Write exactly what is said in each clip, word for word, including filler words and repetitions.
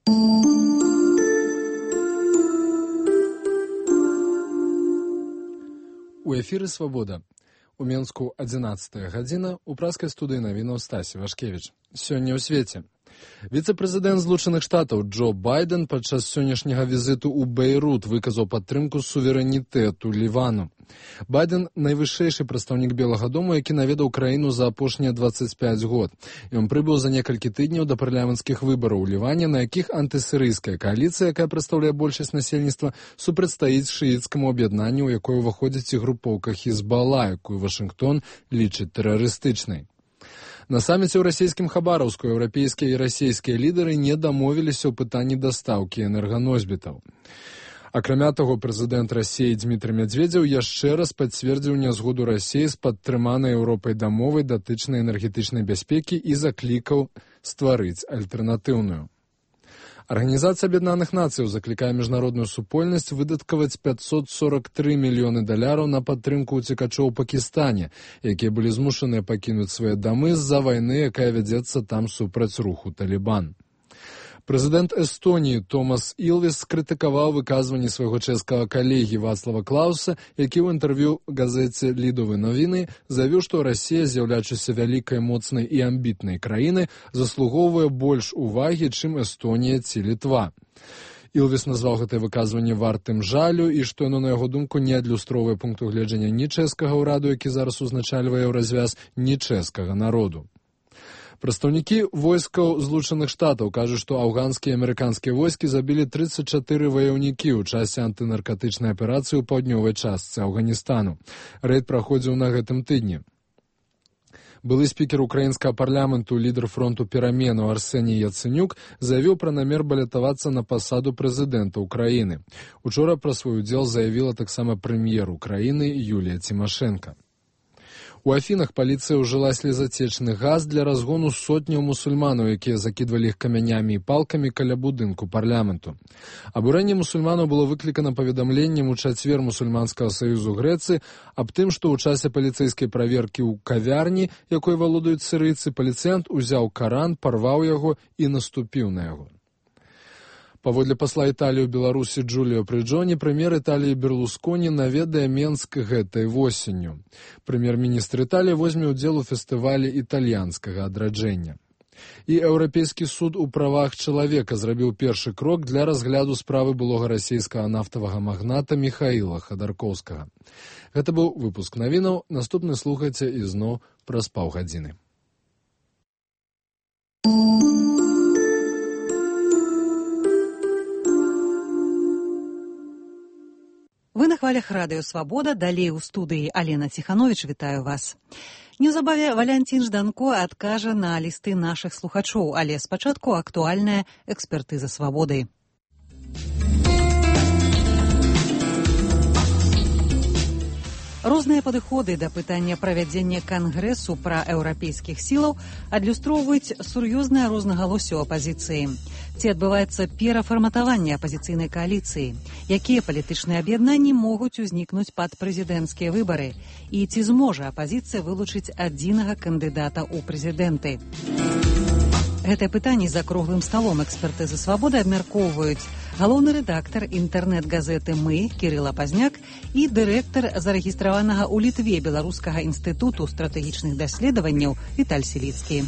У эфіры «Свабода». У Менску адзінаццатая гадзіна, у праскай студыі навінаў Стасі Вашкевіч. Сёння ў свеце. Віцэ-прэзідэнт Злучаных Штатаў Джо Байден падчас сённяшняга візіту ў Бейрут выказаў падтрымку суверэнітэту Лівану. Байден – найвышэйшы прадстаўнік Белага дому, які наведаў краіну за апошнія дваццаць пяць год. Ён прыбыў за некалькі тыдняў да парламенцкіх выбараў у Ліване, на якіх антысірыйская кааліцыя, якая прадстаўляе большасць насельніцтва, супрацьстаіць шыіцкаму аб'яднанню, у якое ўваходзіць і групоўка Хізбалла, якую Вашынгтон лічыць тэрарыстычнай. На саміце ў расійскім Хабараўску еўрапейскія і расійскія лідары не дамовіліся ў пытанні дастаўкі энерганосьбітаў. Акрамя таго, прэзідэнт Расіі Дзмітрый Мядзведзеў яшчэ раз пацвердзіў нязгоду Расіі з падтрыманай Еўропай дамовай датычнай энергетычнай бяспекі і заклікаў стварыць альтэрнатыўную. Арганізацыя Аб'яднаных Нацыяў заклікае міжнародную супольнасць выдаткаваць пятьсот сорок три мільёны даляраў на падтрымку ўцекачоў у Пакістане, якія былі змушаныя пакінуць свае дамы з-за вайны, якая вядзецца там супраць руху Талібан. Прэзідэнт Эстоніі Томас Ілвес скрытыкаваў выказванні свайго чэшскага калегі Вацлава Клауса, які ў інтэрв'ю газеце «Лідовы навіны» заявіў, што Расія, з'яўляючыся вялікай, моцнай і амбітнай краінай, заслугоўвае больш увагі, чым Эстонія ці Літва. Ілвес назваў гэтае выказванне вартым жалю і што яно, на яго думку, не адлюстроўвае пункту гледжання ні чэшскага ўраду, які зараз узначальвае развяз, ні чэшскага народу. Прадстаўнікі войскаў Злучаных Штатаў кажуць, што афганскія і амерыканскія войскі забілі трыццаць чатыры ваяўнікі ў часе антынаркатычнай аперацыі ў паўднёвай частцы Афганістану. Рэйд праходзіў на гэтым тыдні. Былы спікер украінскага парламенту, лідар фронту пераменаў Арсеній Яцэнюк заявіў пра намер балятавацца на пасаду прэзідэнта ўкраіны. Учора пра свой удзел заявіла таксама прэм'ер Украіны Юлія Цімашэнка. У Афінах паліцыя ўжыла слезацечны газ для разгону сотняў мусульманаў, якія закідвалі іх камянямі і палкамі каля будынку парламенту. Абурэнне мусульманаў было выклікана паведамленнем у чацвер мусульманскага саюзу Грэцыі аб тым, што ў часе паліцэйскай праверкі ў кавярні, якой валодаюць сірыйцы, паліцыянт узяў Каран, парваў яго і наступіў на яго. Паводле пасла Італіі ў Беларусі Джуліо Прыджоні, прэм'ер Італіі Берлусконі наведае Менск гэтай восенню. Прэм'ер-міністр Італіі возьме ўдзел у фестывалі італьянскага адраджэння. І Еўрапейскі суд у правах чалавека зрабіў першы крок для разгляду справы былога расійскага нафтавага магната Міхаіла Хадаркоўскага. Гэта быў выпуск навінаў. Наступны слухайце ізноў праз паўгадзіны. Вы на хвалях радыё «Свабода», далей у студыі Алена Ціхановіч, вітаю вас. Неўзабаве Валянцін Жданко адкажа на лісты нашых слухачоў, але спачатку актуальная экспертыза «Свабоды». Розныя падыходы да пытання правядзення кангрэсу пра еўрапейскіх сілаў адлюстроўваюць сур'ёзнае рознагалоссі ў апазіцыі. Ці адбываецца перафарматаванне апазіцыйнай кааліцыі? Якія палітычныя аб'яднанні могуць узнікнуць пад прэзідэнцкія выбары? І ці зможа апазіцыя вылучыць адзінага кандыдата ў прэзідэнты? Гэтае пытанне за круглым сталом экспертызы «Свабоды» абмяркоўваюць галоўны рэдактар інтэрнэт-газеты «Мы» Кірыл Апазняк і дырэктар зарэгістраванага ў Літве Беларускага інстытуту стратэгічных даследаванняў Віталь Сіліцкі.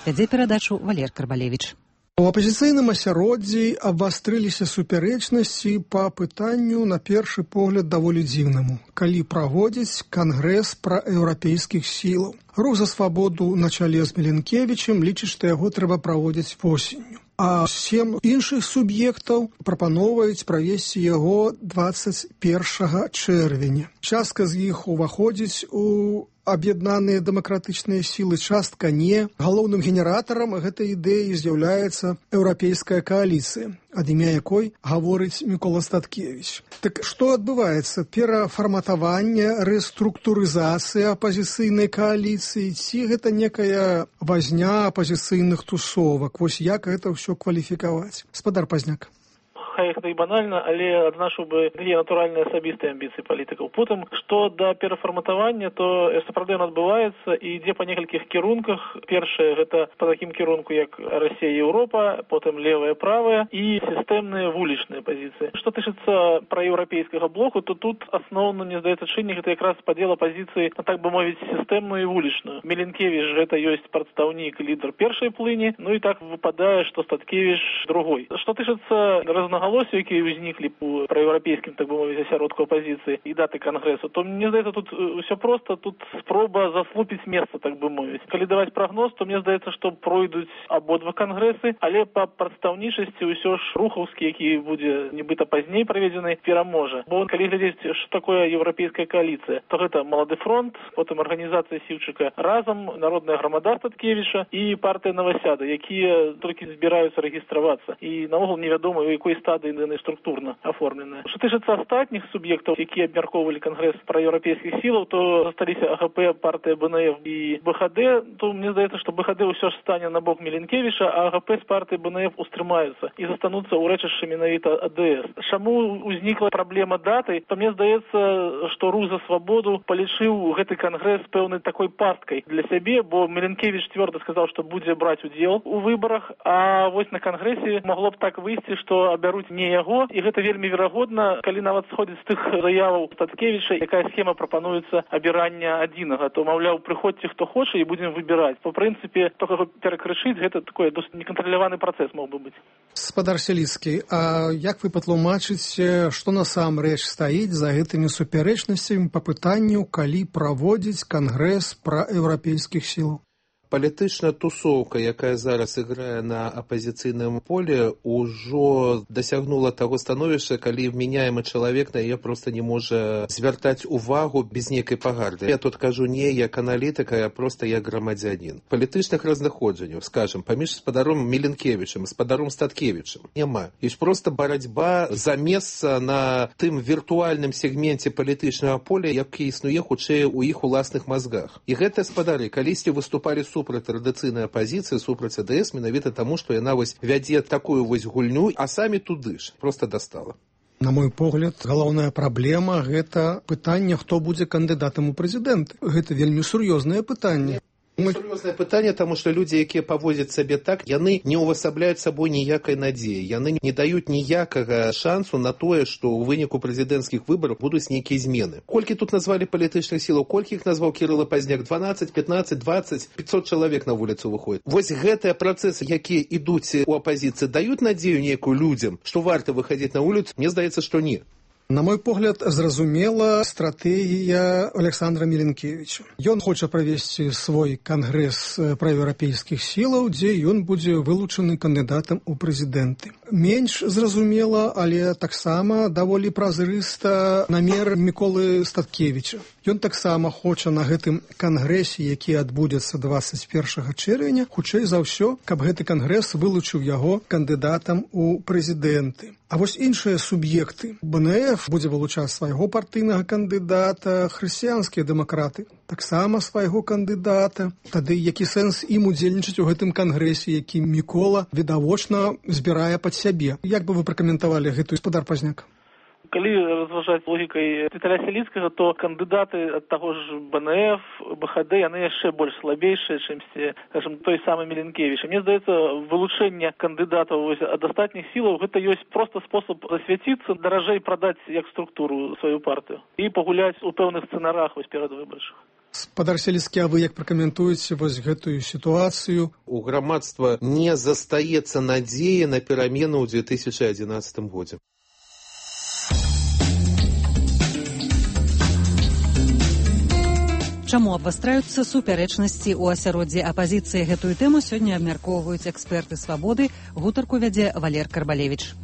Вядзе перадачу Валер Карбалевіч. У апазіцыйным асяроддзі абвастрыліся супярэчнасці па пытанню, на першы погляд, даволі дзіўнаму, калі праводзіць кангрэс пра еўрапейскіх сілаў. Рух за свабоду на чале з Міленкевічем лічыць, што яго трэба праводзіць восенню. А сем іншых суб'ектаў прапаноўваюць правесці яго дваццаць першага чэрвеня. Частка з іх уваходзіць у аб'яднаныя дэмакратычныя сілы, частка не. Галоўным генератарам гэтай ідэі з'яўляецца еўрапейская кааліцыя, ад імя якой гаворыць Мікола Статкевіч. Так што адбываецца? Перафарматаванне, рэструктурызацыя апазіцыйнай кааліцыі, ці гэта некая вазня апазіцыйных тусовак? Вось як гэта ўсё кваліфікаваць? Спадар Пазняк. хай гэта і банальна, але адзначыў бы дзве натуральныя асабістыя амбіцыі палітыкаў. Потым, што да перафарматавання, то сапраўды ён адбываецца і ідзе па некалькіх кірунках. Першае, гэта па такім кірунку, як Расія і Еўропа, потым левая, правая і сістэмныя вулічныя пазіцыі. Што тычыцца праеўрапейскага блоку, то тут асноўна, мне здаецца, чыннік гэта якраз падзел апазіцыі, так бы мовіць, сістэмную і вулічную. Міленкевіч гэта ёсць прадстаўнік, лідар першай плыні, ну і так выпадае, што Статкевіч другой. Што тычыцца рознагалосся, якія ўзніклі у праеўрапейскім, так бы мовіць, асяродку апазіцыі і даты кангрэсу, то мне здаецца, тут усё проста, тут спроба заслупіць месца, так бы мовіць. Калі даваць прагноз, то мне здаецца, што пройдуць абодва кангрэсы, але па прадстаўнічасці ўсё ж рухаўскі, які будзе нібыта пазней праведзены, пераможа. Бо калі глядзець, што такое еўрапейская кааліцыя, то гэта Малады фронт, потым арганізацыя Сіўчыка разам, Народная грамада Статкевіча і партыя Навасяда, якія толькі збіраюцца рэгістравацца. І наогул невядома, у якой стадыі яны структурна аформленыя. Што тычыцца астатніх суб'ектаў, якія абмяркоўвалі кангрэс праеўрапейскіх сілаў, то засталіся АГП, партыя БНФ і БХД, то мне здаецца, што БХД ўсё ж стане на бок Міленкевіча, а АГП з партыі БНФ устрымаюцца і застануцца ў рэчышчы менавіта АДС. Чаму ўзнікла праблема даты? То мне здаецца, што Рух за свабоду палічыў гэты кангрэс пэўнай такой пасткай для сябе, бо Міленкевіч цвёрда сказаў, што будзе браць удзел у выбарах, а вось на кангрэсе магло б так выйсці, што абяруць не яго, і гэта вельмі верагодна, калі нават сходзіць з тых заяваў Статкевіча, якая схема прапануецца абірання адзінага, то, маўляў, прыходзьце хто хоча і будзем выбіраць. По прынцыпе, то, каго перакрышыць, гэта такой досыць некантраляваны працэс мог бы быць. Спадар Сяліцкі, а як вы патлумачыце, што насамрэч стаіць за гэтымі супярэчнасцямі па пытанню, калі праводзіць кангрэс праеўрапейскіх сілаў? Палітычная тусоўка, якая зараз іграе на апазіцыйным поле, ужо дасягнула таго становішча, калі вменяемы чалавек на яе проста не можа звяртаць увагу без нейкай пагарды. Я тут кажу не як аналітыка, а проста як грамадзянін. Палітычных разнаходжанняў, скажем, паміж спадаром Міленкевічам, спадаром Статкевічам няма. Ёсць проста барацьба за месца на тым віртуальным сегменце палітычнага поля, які існуе хутчэй у іх уласных мазгах. І гэтыя спадары калісьці выступалі супраць традыцыйнай апазіцыі, супраць АДС, менавіта таму, што яна вось вядзе такую вось гульню, а самі туды ж проста дастала. На мой погляд, галоўная праблема – гэта пытанне, хто будзе кандыдатам у прэзідэнты. Гэта вельмі сур'ёзнае пытанне. Сур'ёзнае пытанне, таму што людзі, якія паводзяць сабе так, яны не ўвасабляюць сабой ніякай надзеі, яны не даюць ніякага шансу на тое, што ў выніку прэзідэнцкіх выбараў будуць нейкія змены. Колькі тут назвалі палітычных сілаў, колькі іх назваў Кірыла Пазняк? дванаццаць, пятнаццаць, дваццаць, пятьсот чалавек на вуліцу выходзіць. Вось гэтыя працэсы, якія ідуць у апазіцыі, даюць надзею нейкую людзям, што варта выхадзіць на вуліцу? Мне здаецца, што не. На мой погляд, зразумела стратэгія Александра Міленкевіча. Ён хоча правесці свой кангрэс праеўрапейскіх сілаў, дзе ён будзе вылучаны кандыдатам у прэзідэнты. Менш зразумела, але таксама даволі празрыста намер Міколы Статкевіча. Ён таксама хоча на гэтым кангрэсе, які адбудзецца дваццаць першага чэрвеня, хутчэй за ўсё, каб гэты кангрэс вылучыў яго кандыдатам у прэзідэнты. А вось іншыя суб'екты. БНФ будзе вылучаць свайго партыйнага кандыдата, хрысціянскія дэмакраты таксама свайго кандыдата. Тады які сэнс ім удзельнічаць у гэтым кангрэсе, які Мікола відавочна збірае пад сябе? Як бы вы пракаментавалі гэтую, спадар Пазняк? Калі разважаць логікай Віталя Сяліцкага, то кандыдаты ад таго ж БНФ, БХД, яны яшчэ больш слабейшыя, чымсьці, скажем, той самы Міленкевіч. Мне здаецца, вылучэнне кандыдатаў ад астатніх сілаў гэта ёсць проста спосаб засвяціцца, даражэй прадаць як структуру сваю партыю і пагуляць у пэўных сцэнарах вось перад выбарчых. Спадар Сяліцкі, а вы як пракаментуеце вось гэтую сітуацыю? У грамадства не застаецца надзеі на перамены ў две тысячы адзінаццатым годзе. Чаму абвастраюцца супярэчнасці ў асяроддзі апазіцыі? Гэтую тэму сёння абмяркоўваюць эксперты «Свабоды». Гутарку вядзе Валер Карбалевіч.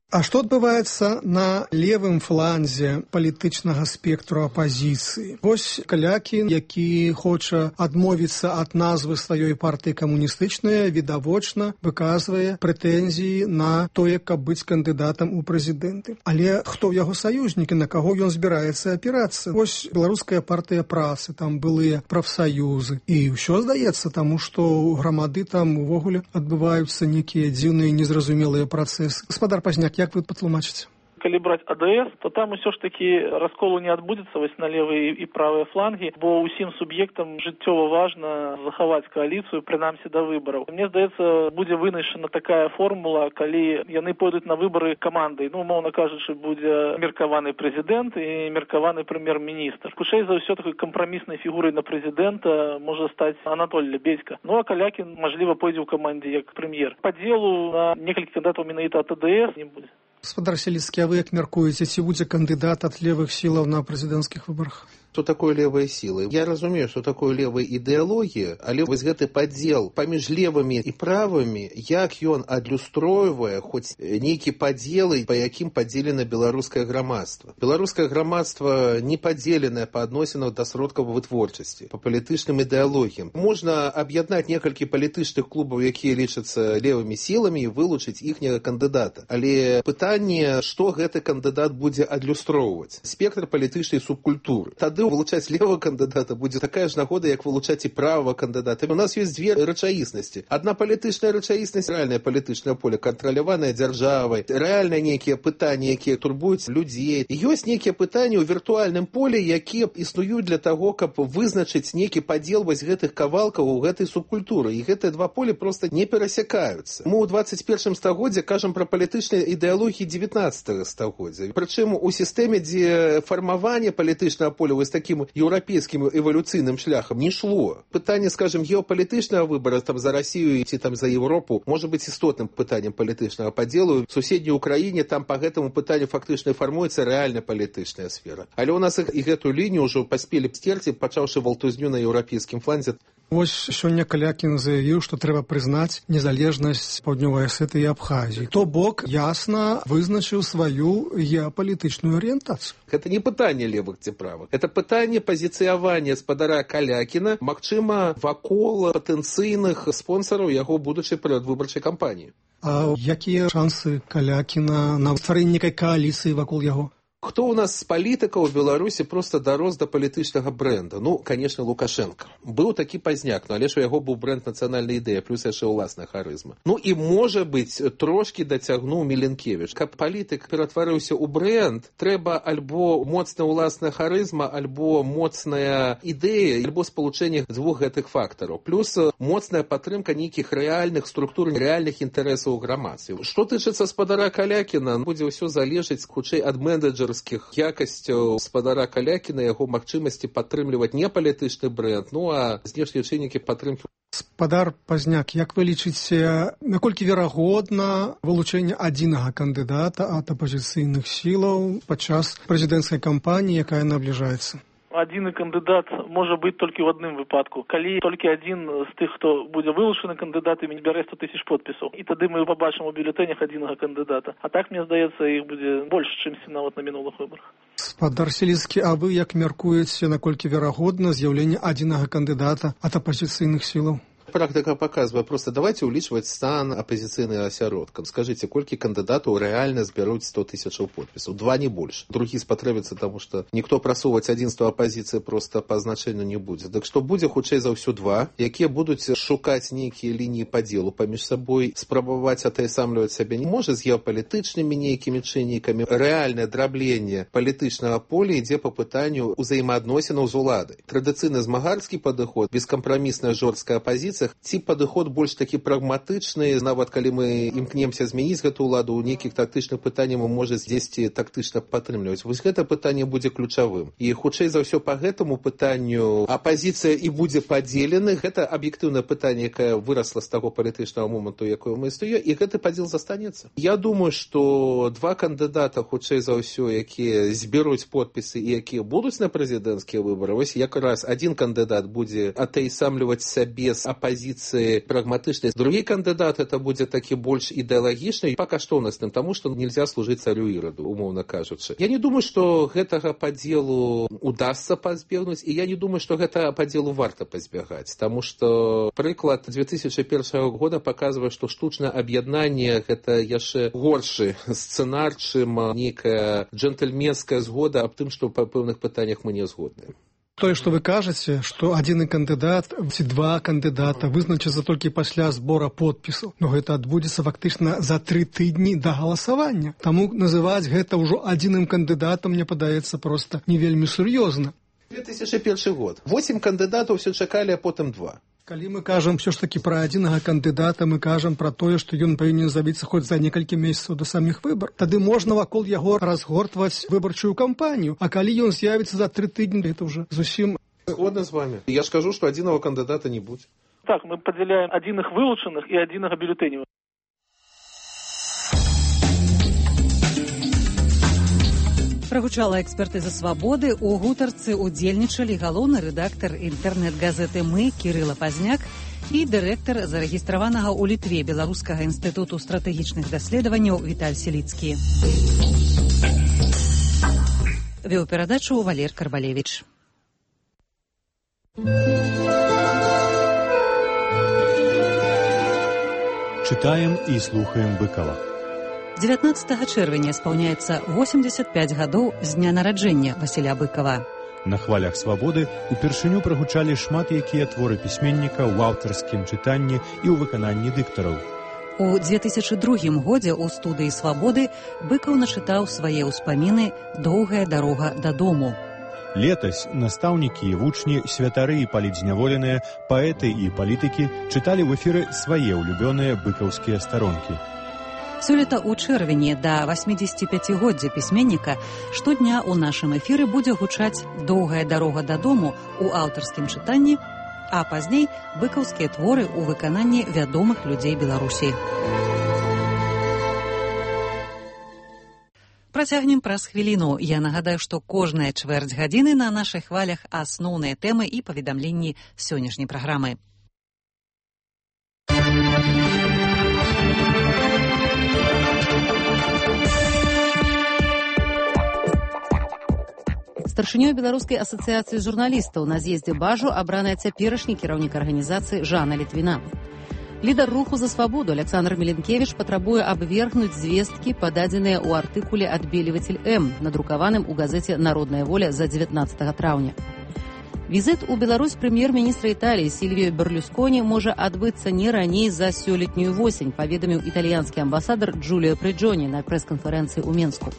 А што адбываецца на левым фланзе палітычнага спектру апазіцыі? Вось Калякін, які хоча адмовіцца ад назвы сваёй партыі камуністычнай, відавочна выказвае прэтэнзіі на тое, каб быць кандыдатам у прэзідэнты. Але хто яго саюзнікі, на каго ён збіраецца апірацца? Вось беларуская партыя працы, там былыя прафсаюзы. І ўсё здаецца, таму што ў грамады там увогуле адбываюцца нейкія дзіўныя незразумелыя працэсы. Гаспадар Пазняк, як вы патлумачыце? Калі браць АДС, то там усё ж такі расколу не адбудзецца вось на левыя і правыя флангі, бо ўсім суб'ектам жыццёва важна захаваць кааліцыю, прынамсі да выбараў. Мне здаецца, будзе вынайшана такая формула, калі яны пойдуць на выбары камандай. Ну, умоўна кажучы, будзе меркаваны прэзідэнт і меркаваны прэм'ер-міністр. Хутчэй за ўсё такой кампраміснай фігурай на прэзідэнта можа стаць Анатоль Лебедзька. Ну, а Калякін, мажліва, пойдзе ў камандзе як прэм'ер. Падзелу на некалькі кандыдатаў менавіта ад АДС не будзе. Гаспадар Селіцкі, а вы як мяркуеце, ці будзе кандыдат ад левых сілаў на прэзідэнцкіх выбарах? Што такое левыя сілы? Я разумею, што такое левая ідэалогія, але вось гэты падзел паміж левымі і правымі, як ён адлюстройвае хоць нейкі падзелы, па якім падзелена беларускае грамадства. Беларускае грамадства не падзеленае па адносінах да сродкаў вытворчасці, па палітычным ідэалогіям. Можна аб'яднаць некалькі палітычных клубаў, якія лічацца левымі сіламі, і вылучыць іхняга кандыдата. Але пытанне, што гэты кандыдат будзе адлюстроўваць? Спектр палітычнай субкультуры. Тады вылучаць левого кандыдата будзе такая ж нагода, як вылучаць і правого кандыдата. У нас ёсць дзве рэчаіснасці. Адна палітычная рэчаіснасць, рэальнае палітычнае поле, кантраляванае дзяржавай, рэальныя нейкія пытанні, якія турбуюць людзей. Ёсць нейкія пытанні ў віртуальным поле, якія існуюць для таго, каб вызначыць нейкі падзел вось гэтых кавалкаў у гэтай субкультуры. І гэтыя два поле проста не перасякаюцца. Мы ў двадцать першым стагоддзі кажам пра палітычныя ідэалогіі дзевятнаццатага стагоддзя. Прычым у сістэме, дзе фармаванне палітычнага поля вось таким еўрапейскім эвалюцыйным шляхам не шло. Пытанне, скажем, геапалітычнага выбара там за Россию ці там за Европу можа быць істотным пытаннем палітычнага падзелу. В суседняй Украіне там по гэтаму пытанню фактычна фармуецца рэальна палітычная сфера. Але у нас і гэту лінію ўжо паспелі сцерці, пачаўшы валтузню на еўрапейскім фланзе. Вось сёння Калякін заявіў, што трэба прызнаць незалежнасць Паўднёвай Асетыі і Абхазіі. То бок ясна вызначыў сваю геапалітычную арыентацыю. Гэта не пытанне левых ці правых. Гэта пытанне пазіцыявання спадара Калякіна, магчыма, вакол патэнцыйных спонсараў яго будучай перадвыбарчай кампаніі. А якія шансы Калякіна на стварэнне некай кааліцыі вакол яго? Хто у нас з палітыкаў у Беларусі проста дарос да палітычнага брэнда? Ну, конечно, Лукашенко. Быў такі Пазняк, но але ж у яго быў брэнд нацыянальнай ідэі, плюс яшчэ ўласная харызма. Ну і, можа быць, трошкі дацягнуў Міленкевіч. Каб палітык ператварыўся ў брэнд, трэба альбо моцная ўласная харызма, альбо моцная ідэя, альбо спалучэнне дзвюх гэтых фактараў. Плюс моцная падтрымка нейкіх рэальных структур, рэальных інтарэсаў у грамадстве. Што тычыцца спадара Калякіна, будзе ўсё залежыць хутчэй ад менеджера якасцяў спадара Калякіна, яго магчымасці падтрымліваць не палітычны брэнд, ну а знешнія чыннікі падтрымкі. Спадар Пазняк, як вы лічыце, наколькі верагодна вылучэнне адзінага кандыдата ад апазіцыйных сілаў падчас прэзідэнцкай кампаніі, якая набліжаецца? Адзіны кандыдат можа быць толькі ў адным выпадку. Калі толькі адзін з тых, хто будзе вылучаны кандыдатамі, збярэ сто тысяч подпісаў. І тады мы пабачым у бюлетэнях адзінага кандыдата. А так, мне здаецца, іх будзе больш, чымся нават на мінулых выбарах. Спадар Селіцкі, а вы як мяркуеце, наколькі верагодна з'яўленне адзінага кандыдата ад апазіцыйных сілаў? Практика показывает, просто давайте улічваць стан апозіцыйным асяродкам. Скажите, колькі кандыдатаў рэальна збяруць сто тысячаў подпісаў? Два, не больше. Другі спатрэбіцца, тому что никто прасоўваць адзінства апозіцыі просто па значэнню не будзе. Так што будзе хутчэй за ўсё два, якія будуць шукаць нейкія лініі падзелу паміж сабой, спрабаваць атаясамліваць сябе не можа з геапалітычнымі нейкімі чыннікамі. Рэальнае драбленне палітычнага поля ідзе па пытанню ўзаемаадносінаў з уладай. Традыцыйны змагарскі падыход, бескампрамісная жорсткая апозіцыя, ці падыход больш такі прагматычны, нават калі мы імкнемся змяніць гэту ўладу, у нейкіх тактычных пытанняў мы можа дзесьці тактычна падтрымліваць. Вось гэта пытанне будзе ключавым. І хутчэй за ўсё па гэтаму пытанню апозіцыя і будзе падзелены. Гэта аб'ектыўнае пытанне, якае вырасла з таго палітычнага моманту, якое мы існуе, і гэты падзел застанецца. Я думаю, што два кандыдата хутчэй за ўсё, якія зберуць подпісы і якія будуць на прэзідэнцкія выбары, вось якраз адзін кандыдат будзе атаясамліваць сябе з апозіцыяй, позиции прагматичной. Другой кандидат это будет таки больше идеологичный. Пока что у нас там тому, что нельзя служить царю Ироду, умовно кажучи. Я не думаю, что этого по делу удастся позбегнуть, и я не думаю, что это по делу варто позбегать, потому что приклад две тысячи первого года показывает, что штучное объединение это еще горший сценар, чем некая джентльменская сгода об том, что по певных питаниях мы не згодны. Тое, што вы кажаце, што адзіны кандыдат ці два кандыдата вызначацца толькі пасля збора подпісаў. Но гэта адбудзецца фактычна за тры тыдні да галасавання. Таму называць гэта ўжо адзіным кандыдатам, мне падаецца, проста не вельмі сур'ёзна. две тысячи первый год. Восемь кандыдатаў все чакалі, а потым два. Калі мы кажам все ж таки пра адзінага кандыдата, мы кажам пра тое, што ён павінен з'явіцца хоць за некалькі месяцаў да саміх выбар. Тады можна вакол яго разгортваць выбарчую кампанію. А калі ён з'явіцца за тры тыдні, это уже зусім... Згодна з вами. Я ж кажу, што адзінага кандыдата не будзе. Так, мы падзяляем адзіных вылучаных і адзінага бюлетэняў. Прагучала экспертыза «Свабоды». У гутарцы удзельнічалі галоўны рэдактар інтэрнэт-газеты «Мы» Кірыла Пазняк і дырэктар зарэгістраванага ў Літве Беларускага інстытуту стратэгічных даследаванняў Віталь Селіцкі. Вёў перадачу Валер Карбалевіч. Чытаем і слухаем Быкова. дзевятнаццатага чэрвеня спаўняецца восемьдесят пять гадоў з дня нараджэння Васіля Быкова. На хвалях «Свабоды» упершыню прагучалі шмат якія творы пісьменніка ў аўтарскім чытанні і ў выкананні дыктараў. У две тысячи другім годзе ў студыі «Свабоды» Быкаў начытаў свае ўспаміны «Доўгая дарога дадому». Летась настаўнікі і вучні, святары і палітзняволеныя, паэты і палітыкі чыталі ў эфіры свае ўлюбёныя быкаўскія старонкі. Сёлета ў чэрвені да восьмідзесяціпяцігоддзя пісьменніка штодня ў нашым эфіры будзе гучаць «Доўгая дарога дадому» у аўтарскім чытанні, а пазней быкаўскія творы ў выкананні вядомых людзей Беларусі. Працягнем праз хвіліну. Я нагадаю, што кожная чвэрць гадзіны на нашых хвалях асноўныя тэмы і паведамленні сённяшняй праграмы. Старшынёй Беларускай асацыяцыі журналістаў на з'ездзе Бажу абраная цяперашні кіраўнік арганізацыі Жанна Літвіна. Лідар руху за свабоду Александр Меленкевич патрабуе абвергнуць звесткі, пададзеныя ў артыкуле «Адбелівацель М», надрукаваным у газеце «Народная воля» за дзевятнаццатага траўня. Візіт у Беларусь прэм'ер-міністра Італіі Сільвіё Берлюсконі можа адбыцца не раней за сёлетнюю восень, паведаміў італьянскі амбасадар Джуліо Прыджоні на прэс-канферэнцыі ў Менску.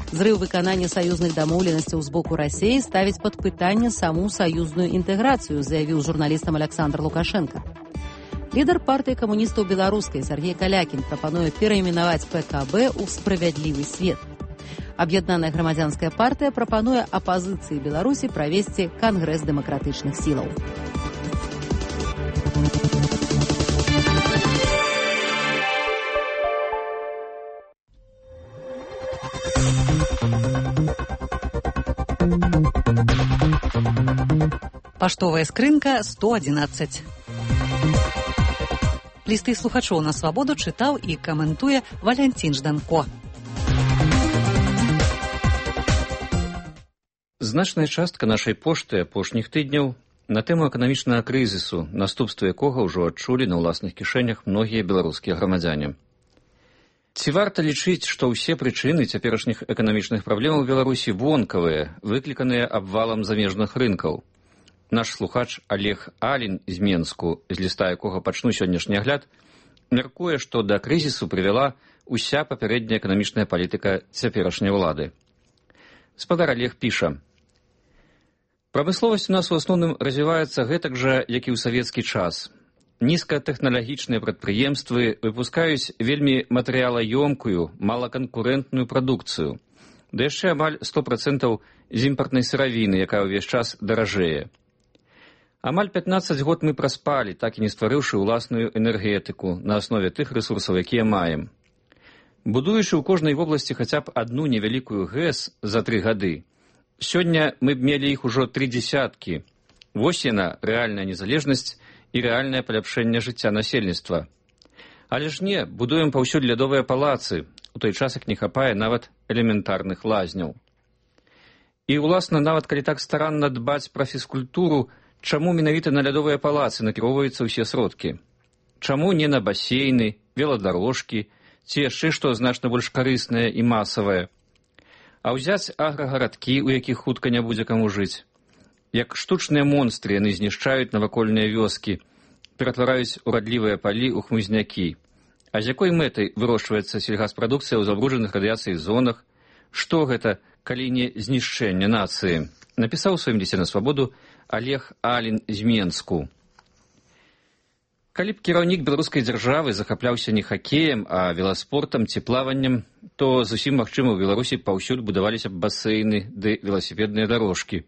Зрыў выканання саюзных дамоўленасцяў з боку Расіі ставіць пад пытанне саму саюзную інтэграцыю, заявіў журналістам Александр Лукашенко. Лідар партыі камуністаў беларускай Сергей Калякін прапануе перайменаваць пэ ка бэ ў «Справядлівы свет». Аб'яднаная грамадзянская партыя прапануе апазіцыі Беларусі правесці кангрэс дэмакратычных сілаў. Паштовая скрынка сто адзінаццаць. Лісты слухачоў на свабоду чытаў і каментуе Валянцін Жданко. Значная частка нашай пошты апошніх тыдняў на тэму эканамічнага крызісу, наступствы якога ўжо адчулі на ўласных кішэнях многія беларускія грамадзяне. Ці варта лічыць, што ўсе прычыны цяперашніх эканамічных праблемаў Беларусі вонкавыя, выкліканыя абвалам замежных рынкаў? Наш слухач Олег Алін з Менску, з ліста якога пачну сённяшні агляд, мяркуе, што да крызісу прывяла ўся папярэдняя эканамічная палітыка цяперашняй улады. Спадар Олег піша: «Прамысловасць у нас у асноўным развіваецца гэтак жа, як і ў савецкі час. Нізкатэхналагічныя прадпрыемствы выпускаюць вельмі матэрыялаёмкую, малаканкурэнтную прадукцыю, да яшчэ амаль сто процентаў з імпартнай сыравіны, якая ўвесь час даражэе. Амаль пятнаццаць год мы праспалі, так і не стварыўшы ўласную энергетыку на аснове тых рэсурсаў, якія маем. Будуючы ў кожнай вобласці хаця б адну невялікую ГЭС за тры гады, сёння мы б мелі іх ужо тры дзесяткі. Вось яна, рэальная незалежнасць і рэальнае паляпшэнне жыцця насельніцтва. Але ж не, будуем паўсюль лядовыя палацы, у той час як не хапае нават элементарных лазняў. І, уласна, нават калі так старанна дбаць пра фізкультуру, чаму менавіта на лядовыя палацы накіроўваюцца ўсе сродкі? Чаму не на басейны, веладарожкі, ці яшчэ што значна больш карыснае і масавае? А ўзяць аграгарадкі, у якіх хутка не будзе каму жыць. Як штучныя монстры яны знішчаюць навакольныя вёскі, ператвараюць урадлівыя палі ў хмызнякі. А з якой мэтай вырошчваецца сельгаспрадукцыя ў забруджаных радыяцыяй зонах? Што гэта, калі не знішчэнне нацыі? Напісаў у сваім лісце на свабоду Олег Алін з Менску. Калі б кіраўнік беларускай дзяржавы захапляўся не хакеем, а веласпортам ці плаваннем, то зусім магчыма ў Беларусі паўсюль будаваліся б басейны ды веласіпедныя дарожкі.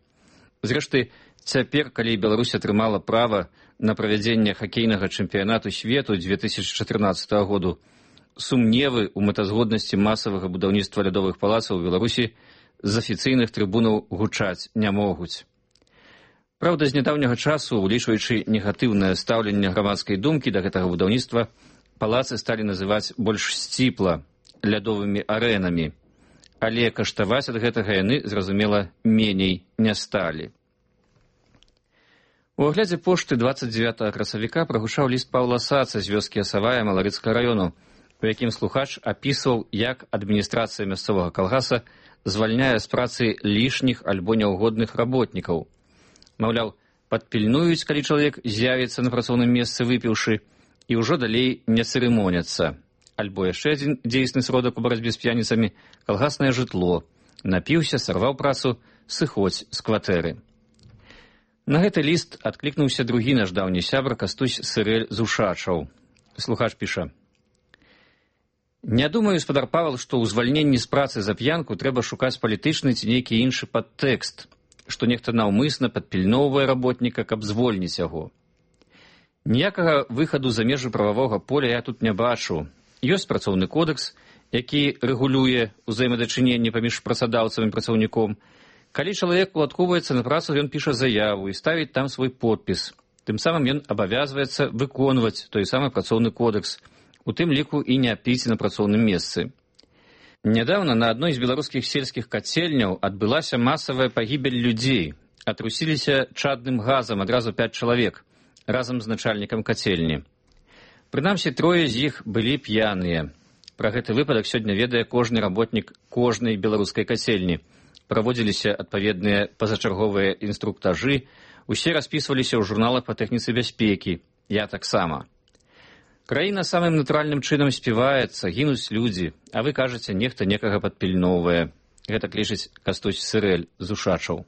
Зрэшты, цяпер, калі Беларусь атрымала права на правядзенне хакейнага чэмпіянату свету дзве тысячы чатырнаццатага году, сумневы ў мэтазгоднасці масавага будаўніцтва лядовых палацаў у Беларусі з афіцыйных трыбунаў гучаць не могуць. Праўда, з нядаўняга часу, улічваючы негатыўнае стаўленне грамадскай думкі да гэтага будаўніцтва, палацы сталі называць больш сціпла лядовымі арэнамі, але каштаваць ад гэтага яны, зразумела, меней не сталі. У аглядзе пошты дваццаць дзевятага красавіка прагучаў ліст Паўла Саца з вёскі Асавая Маларыцкага раёну, у якім слухач апісваў, як адміністрацыя мясцовага калгаса звальняе з працы лішніх альбо няўгодных работнікаў. Маўляў, падпільнуюць, калі чалавек з'явіцца на працоўным месцы выпіўшы, і ўжо далей не цырымоняцца. Альбо яшчэ адзін дзейсны сродак у барацьбе з п'яніцамі – калгаснае жытло. Напіўся, сарваў працу, сыходзь з кватэры. На гэты ліст адклікнуўся другі наш даўні сябра Кастусь Сырэль з Ушачаў. Слухач піша: «Не думаю, спадар Павел, што ў звальненні з працы за п'янку трэба шукаць палітычны ці нейкі іншы падтэкст, што нехта наўмысна падпільноўвае работніка, каб звольніць яго. Ніякага выхаду за межы прававога поля я тут не бачу. Ёсць працоўны кодэкс, які рэгулюе ўзаемадачыненне паміж працадаўцам і працаўніком. Калі чалавек уладкоўваецца на працу, ён піша заяву і ставіць там свой подпіс. Тым самым ён абавязваецца выконваць той самы працоўны кодэкс, у тым ліку і не піць на працоўным месцы. Нядаўна на адной з беларускіх сельскіх кацельняў адбылася масавая пагібель людзей. Атрусіліся чадным газам адразу пяць чалавек, разам з начальнікам кацельні. Прынамсі, трое з іх былі п'яныя. Пра гэты выпадак сёння ведае кожны работнік кожнай беларускай кацельні. Праводзіліся адпаведныя пазачарговыя інструктажы, усе распісваліся ў журналах па тэхніцы бяспекі. Я таксама. Краіна самым натуральным чынам співаецца, гінуць людзі, а вы кажаце, нехта некага падпільноўвае. Гэта клічыць Кастусь Сырэль з Ушачаў.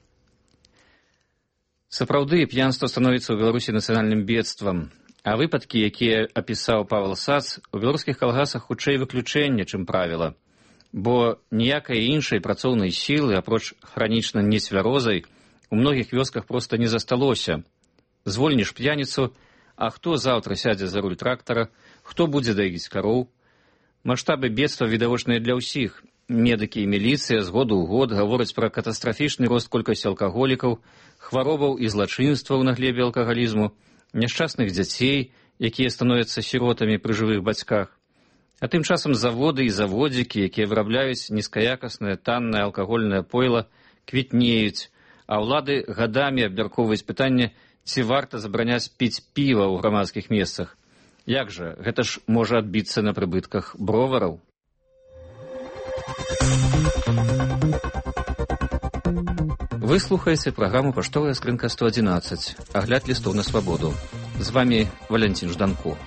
Сапраўды, п'янства становіцца ў Беларусі нацыянальным бедствам, а выпадкі, якія апісаў Павел Сац, у беларускіх калгасах хутчэй выключэнне, чым правіла. Бо ніякай іншай працоўнай сілы, апроч хранічна нецвярозай, у многіх вёсках проста не засталося. Звольніш п'яніцу, а хто заўтра сядзе за руль трактара, хто будзе даіць кароў? Маштабы бедства відавочныя для ўсіх. Медыкі і міліцыя з году ў год гавораць пра катастрафічны рост колькасці алкаголікаў, хваробаў і злачынстваў на глебе алкагалізму, няшчасных дзяцей, якія становяцца сіротамі пры жывых бацьках. А тым часам заводы і заводзікі, якія вырабляюць нізкаякаснае таннае алкагольнае пойла, квітнеюць, а ўлады гадамі абмяркоўваюць пытанне, ці варта забараняць піць піва ў грамадскіх месцах. Як жа, гэта ж можа адбіцца на прыбытках бровараў. Вы слухаеце праграму «Паштовая скрынка сто адзінаццаць», агляд лістоў на свабоду. З вами Валянцін Жданко.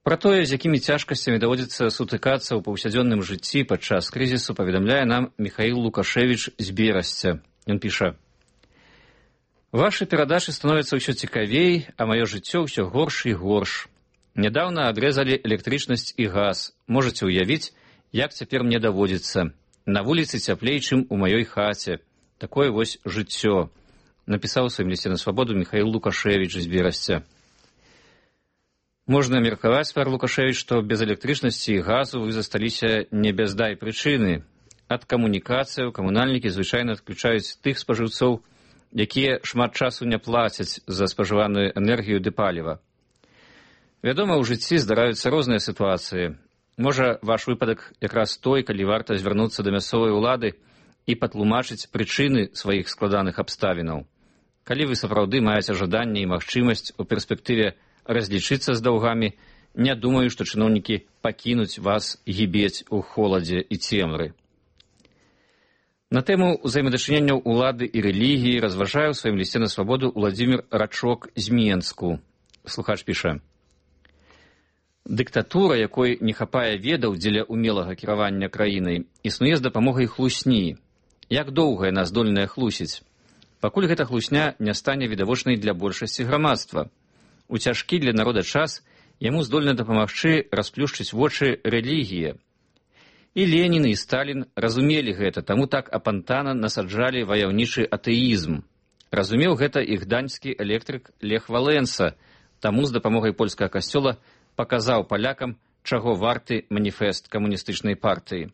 Пра тое, з якімі цяжкасцямі даводзіцца сутыкацца ў паўсядзённым жыцці падчас крызісу, паведамляе нам Міхаіл Лукашевіч з Берасця. Ён піша: «Вашы перадачы становяцца ўсё цікавей, а маё жыццё ўсё горш і горш. Нядаўна адрэзалі электрычнасць і газ. Можаце ўявіць, як цяпер мне даводзіцца. На вуліцы цяплей, чым у маёй хаце. Такое вось жыццё», напісаў у сваім лісце на свабоду Міхаіл Лукашевіч з Берасця. Можна меркаваць, пар Лукашевіч, што без электрычнасці і газу вы засталіся не без дай прычыны. Ад камунікацыяў камунальнікі звычайна адключаюць тых спажыўцоў, якія шмат часу не плацяць за спажываную энергію ды паліва. Вядома, у жыцці здараюцца розныя сітуацыі. Можа, ваш выпадак якраз той, калі варта звярнуцца да мясцовай улады і патлумачыць прычыны сваіх складаных абставінаў. Калі вы сапраўды маеце жаданне і магчымасць у перспектыве разлічыцца з даўгамі, не думаю, што чыноўнікі пакінуць вас гібець у холадзе і цемры. На тэму ўзаемадачыненняў улады і рэлігіі разважае ў сваім лісце на свабоду Уладзімір Рачок з Менску. Слухач піша: «Дыктатура, якой не хапае ведаў дзеля умелага кіравання краінай, існуе з дапамогай хлусні. Як доўга яна здольная хлусіць? Пакуль гэта хлусня не стане відавочнай для большасці грамадства. У цяжкі для народа час яму здольна дапамагчы расплюшчыць вочы рэлігія. І Ленін, і Сталін разумелі гэта, таму так апантана насаджалі ваяўнічы атэізм. Разумеў гэта і гданьскі электрык Лех Валенса, таму з дапамогай польскага касцёла паказаў палякам, чаго варты маніфест камуністычнай партыі.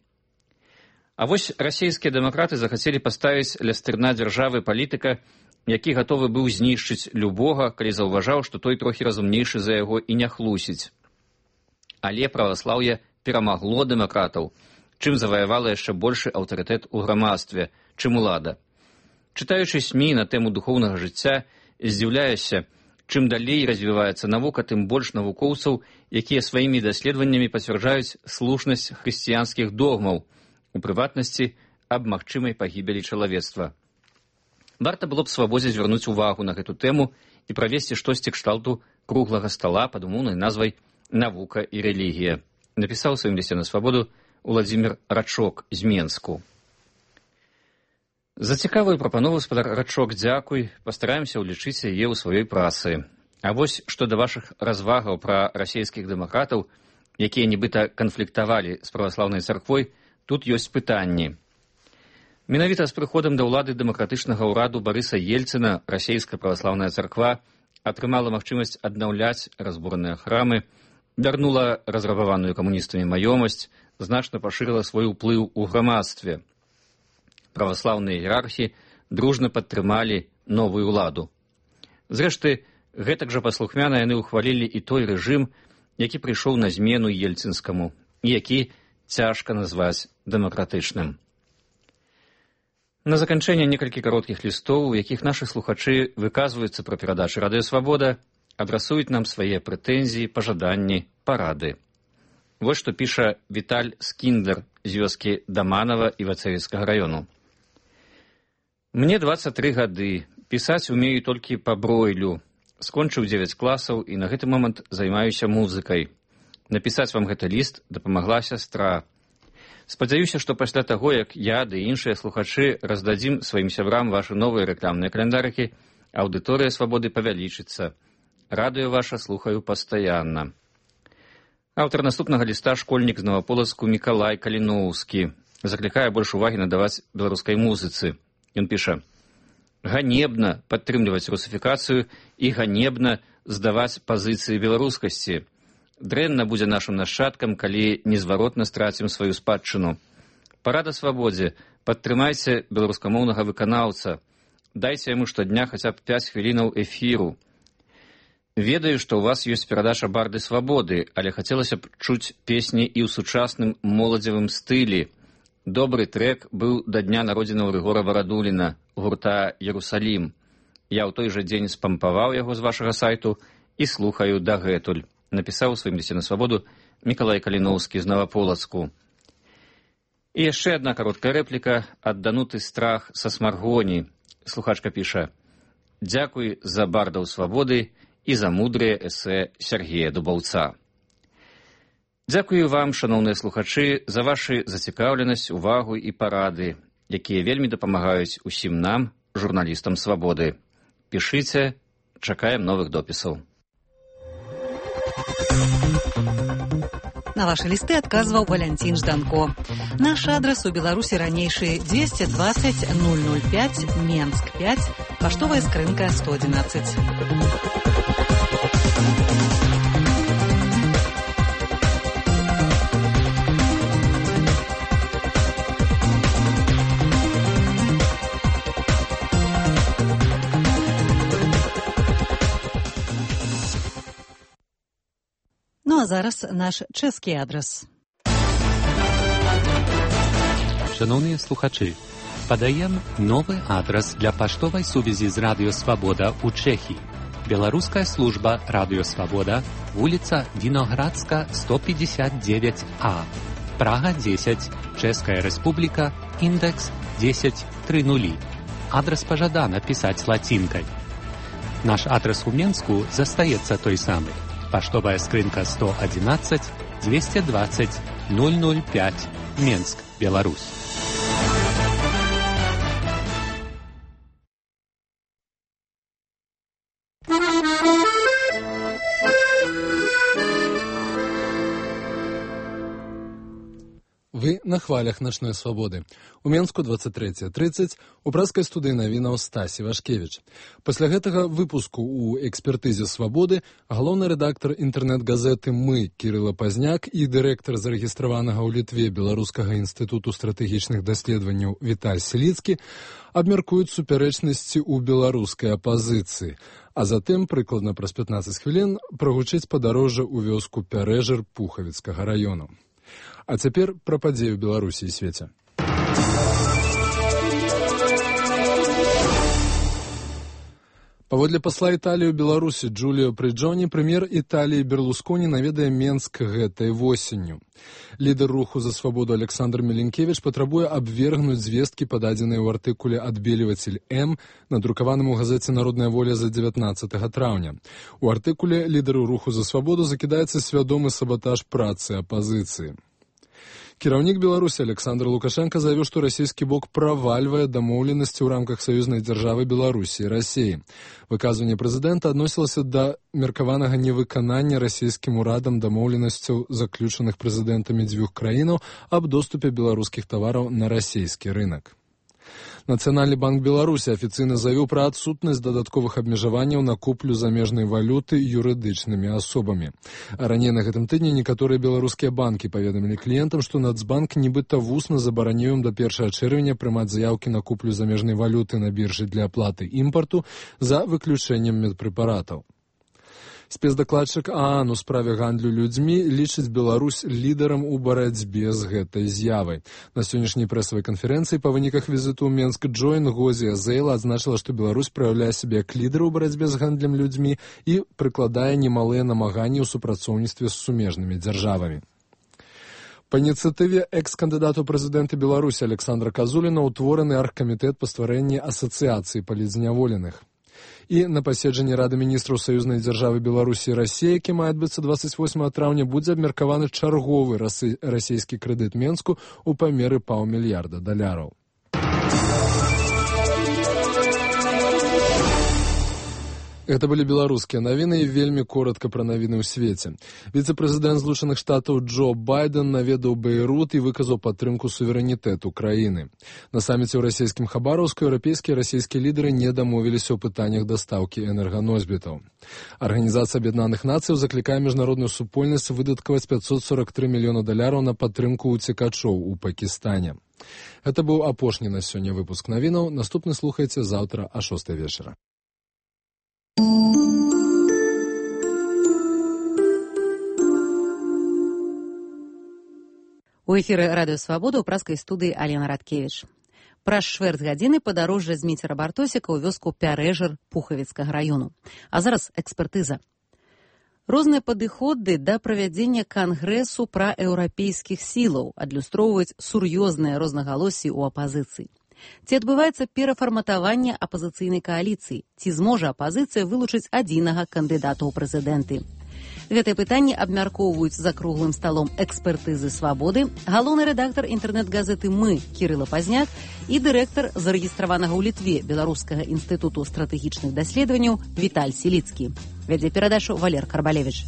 А вось расійскія дэмакраты захацелі паставіць ля стырна дзяржавы палітыка, які гатовы быў знішчыць любога, калі заўважаў, што той трохі разумнейшы за яго і не хлусіць. Але праваслаўе перамагло дэмакратаў, чым заваявала яшчэ большы аўтарытэт у грамадстве, чым улада. Чытаючы СМІ на тэму духоўнага жыцця, здзіўляюся, чым далей развіваецца навука, тым больш навукоўцаў, якія сваімі даследаваннямі пацвярджаюць слушнасць хрысціянскіх догмаў, у прыватнасці аб магчымай пагібелі чалавецтва. Варта было б свабодзе звярнуць увагу на гэту тэму і правесці штосьці кшталту круглага стала пад умоўнай назвай «Навука і рэлігія», напісаў у сваім лісце на свабоду Уладзімір Рачок з Менску. За цікавую прапанову, спадар Рачок, дзякуй, пастараемся ўлічыць яе ў сваёй працы. А вось што да вашых развагаў пра расійскіх дэмакратаў, якія нібыта канфліктавалі з праваслаўнай царквой, тут ёсць пытанні. Менавіта з прыходам да ўлады дэмакратычнага ўраду Барыса Ельцына расійская праваслаўная царква атрымала магчымасць аднаўляць разбураныя храмы, вярнула разрабаваную камуністамі маёмасць, значна пашырыла свой уплыў у грамадстве. Праваслаўныя іерархі дружна падтрымалі новую ўладу. Зрэшты, гэтак жа паслухмяна яны ўхвалілі і той рэжым, які прыйшоў на змену ельцынскаму, і які цяжка назваць дэмакратычным. На заканчэнне некалькі кароткіх лістоў, у якіх нашы слухачы выказваюцца пра перадачы Радыё Свабода, адрасуюць нам свае прэтэнзіі, пажаданні, парады. Вось што піша Віталь Скіндлер з вёскі Даманава Івацевіцкага раёну. «Мне дваццаць тры гады, пісаць умею толькі па бройлю. Скончыў дзевяць класаў і на гэты момант займаюся музыкай. Напісаць вам гэты ліст дапамагла сястра. Спадзяюся, што пасля таго, як я ды іншыя слухачы раздадзім сваім сябрам вашы новыя рэкламныя каляндарыкі, аўдыторыя Свабоды павялічыцца. Радыё ваша слухаю пастаянна». Аўтар наступнага ліста школьнік з Новаполацку Мікалай Каліноўскі заклікае больш увагі надаваць беларускай музыцы. Ён піша: «Ганебна падтрымліваць русіфікацыю і ганебна здаваць пазіцыі беларускасці. Дрэнна будзе нашым нашчадкам, калі незваротна страцім сваю спадчыну. Парада Свабодзе, падтрымайце беларускамоўнага выканаўца. Дайце яму штодня хаця б пяць хвілінаў эфіру. Ведаю, што ў вас ёсць перадача «Барды Свабоды», але хацелася б чуць песні і ў сучасным моладзевым стылі. Добры трэк быў да дня народзінаў Рыгора Варадуліна, гурта «Ерусалім». Я ў той жа дзень спампаваў яго з вашага сайту і слухаю дагэтуль», напісаў у сваім лісце на Свабоду Мікалай Каліноўскі з Новаполацку. І яшчэ адна кароткая рэпліка ад Дануты Страх са Смаргоні. Слухачка піша: «Дзякуй за бардаў Свабоды і за мудрыя эсэ Сергея Дубаўца». Дзякую вам, шаноўныя слухачы, за вашу зацікаўленасць, увагу і парады, якія вельмі дапамагаюць усім нам, журналістам Свабоды. Пішыце, чакаем новых допісаў. На ваши листы отказывал Валентин Жданко. Наш адрес у Беларуси ранейший двести двадцать ноль ноль пять, Менск пять, поштовая скрынка сто одиннадцать. а зараз наш чэшскі адрас. Шановныя слухачы, падаем новы адрас для паштовай сувязі з Радыё Свабода ў Чэхіі. Беларуская служба Радыё Свабода, вуліца Віноградска, сто пятьдесят девять А, Прага десять, Чэшская Рэспубліка, індекс десять три нули. Адрас пажадана пісаць лацінкай. Наш адрас у Менску застаецца той самы. Паштовая скрынка сто одиннадцать двести двадцать ноль ноль пять, Менск, Беларусь. Вы на хвалях начной свободы. У Менску двадцать третье тридцать, у праскай студыі навінаў Стась Івашкевіч. Пасля гэтага выпуску у экспертызе свабоды галоўны рэдактар інтэрнэт-газеты «Мы» Кірыла Пазняк і дырэктар зарэгістраванага ў Літве Беларускага інстытуту стратэгічных даследаванняў Віталь Селіцкі абмяркуюць супярэчнасці ў беларускай апазіцыі, а затым, прыкладна праз пятнаццаць хвілін, прагучыць падарожжа ў вёску Пярэжыр Пухавіцкага раёну. А цяпер пра падзеі ў Беларусі і свеце. Паводле пасла Італіі ў Беларусі Джуліо Прыджоні, прэм'ер Італіі Берлусконі наведае Менск гэтай восенню. Лідар руху за свабоду Александр Міленкевіч патрабуе абвергнуць звесткі, пададзеныя ў артыкуле «Адбелівацель М», надрукаваным у газеце «Народная воля» за дзевятнаццатага траўня. У артыкуле лідару руху за свабоду закідаецца свядомы сабатаж працы апазіцыі. Кіраўнік Беларусі Александр Лукашенко заявіў, што расійскі бок правальвае дамоўленасці ў рамках саюзнай дзяржавы Беларусі і Расіі. Выказванне прэзідэнта адносілася да меркаванага невыканання расійскім урадам дамоўленасцяў, заключаных прэзідэнтамі дзвюх краінаў аб доступе беларускіх тавараў на расійскі рынак. Нацыянальны банк Беларусі афіцыйна заявіў пра адсутнасць дадатковых абмежаванняў на куплю замежнай валюты юрыдычнымі асобамі. А раней на гэтым тыдні некаторыя беларускія банкі паведамілі кліентам, што Нацбанк нібыта вусна забараніў ім да першага чэрвеня прымаць заяўкі на куплю замежнай валюты на біржы для аплаты імпарту за выключэннем медпрэпаратаў. Спецдакладчык ААН у справе гандлю людзьмі лічыць Беларусь лідарам у барацьбе з гэтай з'явай. На сённяшняй прэсавай канферэнцыі па выніках візіту ў Менск Джойн Гозія Зейла адзначыла, што Беларусь праяўляе сябе як лідар у барацьбе з гандлем людзьмі і прыкладае немалыя намаганні ў супрацоўніцтве з сумежнымі дзяржавамі. Па ініцыятыве экс-кандыдата ў прэзідэнты Беларусі Александра Казуліна ўтвораны аргкамітэт па стварэнні асацыяцыі палітзняволеных. І на паседжанні Рады міністраў саюзнай дзяржавы Беларусі і Расіі, які мае адбыцца двадцать восьмага траўня, будзе абмеркаваны чарговы расійскі крэдыт Менску ў памеры паўмільярда даляраў. Гэта былі беларускія навіны і вельмі коротка пра навіны ў свеце. Віцэ-прэзідэнт Злучаных Штатаў Джо Байден наведаў Бейрут і выказаў падтрымку суверэнітэту краіны. На саміце ў расійскім Хабараўску еўрапейскія і расійскія лідары не дамовіліся ў пытаннях дастаўкі энерганосьбітаў. Арганізацыя Аб'яднаных Нацыяў заклікае міжнародную супольнасць выдаткаваць пятьсот сорок три мільёна даляраў на падтрымку ўцекачоў у Пакістане. Гэта быў апошні на сёння выпуск навінаў. Наступны слухайце заўтра а шостай вечара. У эфіры Радыё Свабода ў праскай студыі Алена Радкевіч. Праз чвэрць гадзіны падарожжа Зміцера Бартосіка ў вёску Пярэжыр Пухавіцкага раёну. А зараз экспертыза. Розныя падыходы да правядзення кангрэсу пра еўрапейскіх сілаў адлюстроўваюць сур'ёзныя рознагалоссі ў апазіцыі. Ці адбываецца перафарматаванне апазіцыйнай кааліцыі? Ці зможа апазіцыя вылучыць адзінага кандыдата ў прэзідэнты? Гэтае пытанне абмяркоўваюць за круглым сталом экспертызы свабоды, галоўны рэдактар інтэрнэт-газеты «Мы» Кірыла Пазняк і дырэктар зарэгістраванага ў Літве Беларускага інстытуту стратэгічных даследаванняў Віталь Селіцкі. Вядзе перадачу Валер Карбалевіч.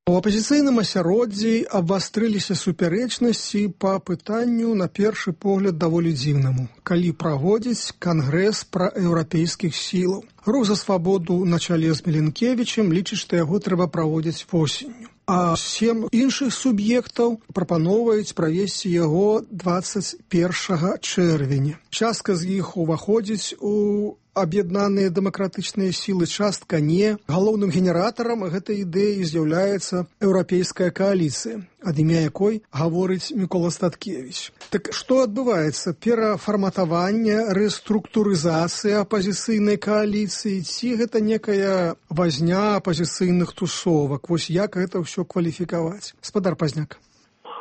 У апазіцыйным асяроддзі абвастрыліся супярэчнасці па пытанню, на першы погляд, даволі дзіўнаму. Калі праводзіць кангрэс пра еўрапейскіх сілаў. Рух за свабоду на чале з Міленкевічем лічыць, што яго трэба праводзіць восенню. А сем іншых суб'ектаў прапаноўваюць правесці яго двадцать першага чэрвеня. Частка з іх уваходзіць у аб'яднаныя дэмакратычныя сілы, частка не. Галоўным генератарам гэтай ідэі з'яўляецца еўрапейская кааліцыя, ад імя якой гаворыць Мікола Статкевіч. Так што адбываецца? Перафарматаванне, рэструктурызацыя апазіцыйнай кааліцыі, ці гэта некая вазня апазіцыйных тусовак? Вось як гэта ўсё кваліфікаваць? Спадар Пазняк.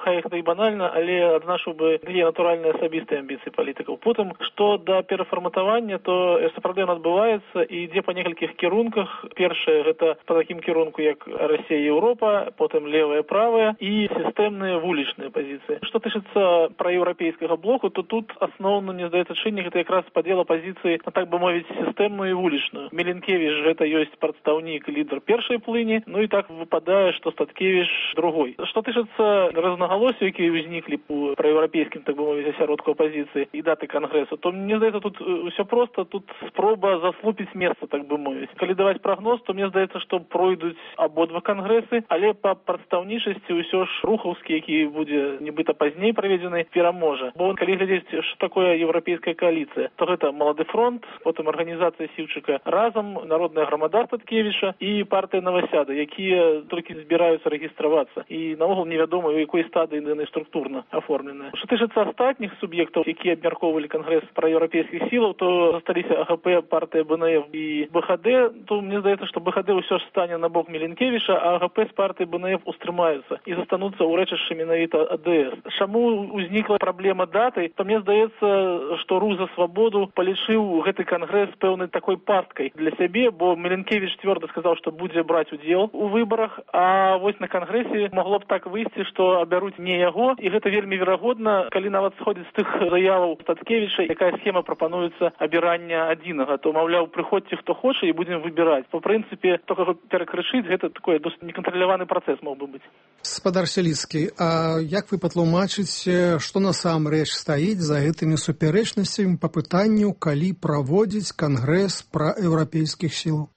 Хай гэта і банальна, але адзначыў бы дзве натуральныя асабістыя амбіцыі палітыкаў. Потым, што да перафарматавання, то сапраўды ён адбываецца і ідзе па некалькіх кірунках. Першае, гэта па такім кірунку, як Расія і Еўропа, потым левая, правая і сістэмныя вулічныя пазіцыі. Што тычыцца праеўрапейскага блоку, то тут асноўным, мне здаецца, чыннік гэта якраз падзел апазіцыі, так бы мовіць, сістэмную і вулічную. Міленкевіч гэта ёсць прадстаўнік, лідар першай плыні, ну і так выпадае, што Статкевіч другой. Што тычыцца розна галосі, якія ўзніклі у праеўрапейскім, так бы мовіць, асяродку апазіцыі і даты кангрэсу, то мне здаецца, тут ўсё проста, тут спроба заслупіць месца, так бы мовіць. Калі даваць прагноз, то мне здаецца, што пройдуць абодва кангрэсы, але па прадстаўнічасці ўсё ж рухаўскі, які будзе нібыта пазней праведзены, пераможа. Бо калі глядзець, што такое еўрапейская кааліцыя, то гэта Малады фронт, потым арганізацыя Сіўчыка разам, Народная грамада Статкевіча і партыя Навасяда, якія толькі збіраюцца рэгістравацца. І наогул невядома, у якой стадыі яны структурна аформленыя. Што тычыцца астатніх суб'ектаў, якія абмяркоўвалі кангрэс праеўрапейскіх сілаў, то засталіся АГП, партыя БНФ і БХД, то мне здаецца, што БХД ўсё ж стане на бок Міленкевіча, а АГП з партыі БНФ устрымаюцца і застануцца ў рэчышчы менавіта АДС. Чаму узнікла праблема даты, то мне здаецца, што Рух за свабоду палічыў гэты кангрэс пэўнай такой пасткай для сябе, бо Міленкевіч цвёрда сказаў, што будзе браць удзел у выбарах, а вось на кангрэсе магло б так выйсці, што абяруць не яго, і гэта вельмі верагодна, калі нават сходзіць з тых заяваў Статкевіча, якая схема прапануецца абірання адзінага, то, маўляў, прыходзьце хто хоча і будзем выбіраць. Па прынцыпе, то, каго перакрычыць, гэта такой досыць некантраляваны працэс мог бы быць. Спадар Сяліцкі, а як вы патлумачыце, што насамрэч стаіць за гэтымі супярэчнасцямі па пытанню, калі праводзіць кангрэс праеўрапейскіх сілаў?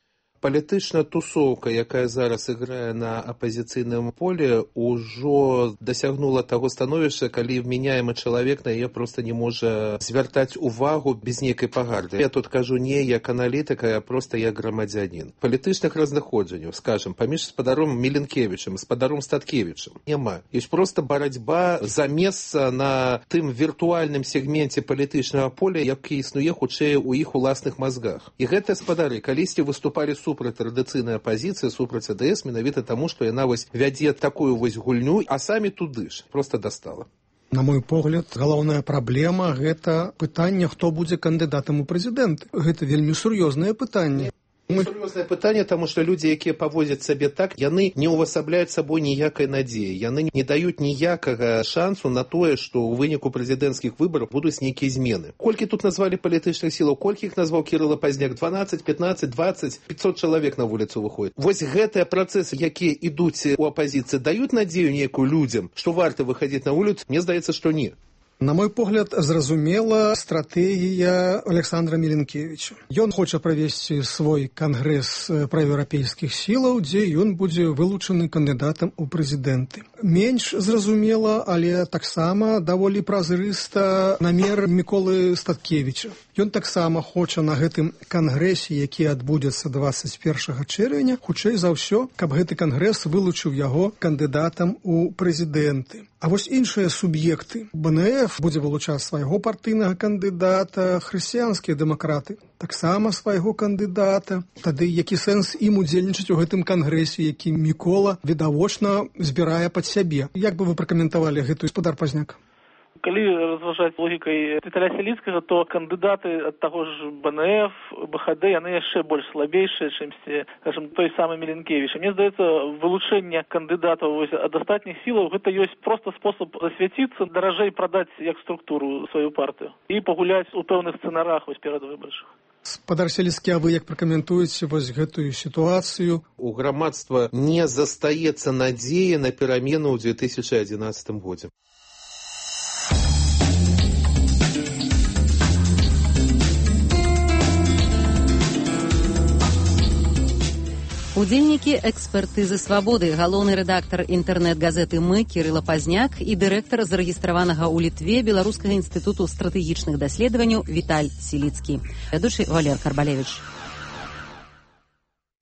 Палітычная тусоўка, якая зараз іграе на апазіцыйным полі, ужо дасягнула таго становішча, калі вменяемы чалавек на яе проста не можа звяртаць увагу без нейкай пагарды. Я тут кажу не як аналітыка, а проста як грамадзянін. Палітычных разнаходжанняў, скажем, паміж спадаром Міленкевічам, спадаром Статкевічам няма. Ёсць проста барацьба за месца на тым віртуальным сегменце палітычнага поля, які існуе хутчэй у іх уласных мазгах. І гэтыя спадары калісьці выступалі супраць супраць традыцыйнай апазіцыі, супраць АДС, менавіта таму, што яна вось вядзе такую вось гульню, а самі туды ж проста дастала. На мой погляд, галоўная праблема – гэта пытанне, хто будзе кандыдатам у прэзідэнты. Гэта вельмі сур'ёзнае пытанне. Сур'ёзнае пытанне, таму што людзі, якія паводзяць сабе так, яны не ўвасабляюць сабой ніякай надзеі, яны не даюць ніякага шансу на тое, што ў выніку прэзідэнцкіх выбараў будуць нейкія змены. Колькі тут назвалі палітычных сілаў, колькі іх назваў Кірыла Пазняк? дванаццаць, пятнаццаць, дваццаць, пятьсот чалавек на вуліцу выходзіць. Вось гэтыя працэсы, якія ідуць у апазіцыі, даюць надзею нейкую людзям, што варта выхадзіць на вуліцу? Мне здаецца, што не. На мой погляд, зразумела стратэгія Александра Міленкевіча. Ён хоча правесці свой кангрэс праеўрапейскіх сілаў, дзе ён будзе вылучаны кандыдатам у прэзідэнты. Менш зразумела, але таксама даволі празрыста намер Міколы Статкевіча. Ён таксама хоча на гэтым кангрэсе, які адбудзецца дваццаць першага чэрвеня, хутчэй за ўсё, каб гэты кангрэс вылучыў яго кандыдатам у прэзідэнты. А вось іншыя суб'екты. БНФ будзе вылучаць свайго партыйнага кандыдата, хрысціянскія дэмакраты таксама свайго кандыдата. Тады які сэнс ім удзельнічаць у гэтым кангрэсе, які Мікола відавочна збірае пад сябе? Як бы вы пракаментавалі гэтую, спадар Пазняк? Калі разважаць логікай Віталя Сяліцкага, то кандыдаты ад таго ж БНФ, БХД, яны яшчэ больш слабейшыя, чымсьці, скажем, той самы Міленкевіч. Мне здаецца, вылучэнне кандыдатаў ад астатніх сілаў гэта ёсць проста спосаб засвяціцца, даражэй прадаць як структуру сваю партыю і пагуляць у пэўных сцэнарах вось перадвыбарчых. Спадар Сяліцкі, а вы як пракаментуеце вось гэтую сітуацыю? У грамадства не застаецца надзея на перамену ў две тысячы адзінаццатым годзе. У Удзельнікі экспертызы свабоды, галоўны рэдактар інтэрнэт-газеты «Мы» Кірыла Пазняк і дырэктар зарэгістраванага ў Літве Беларускага інстытуту стратэгічных даследаванняў Віталь Сіліцкі. Вядучы Валер Карбалевіч.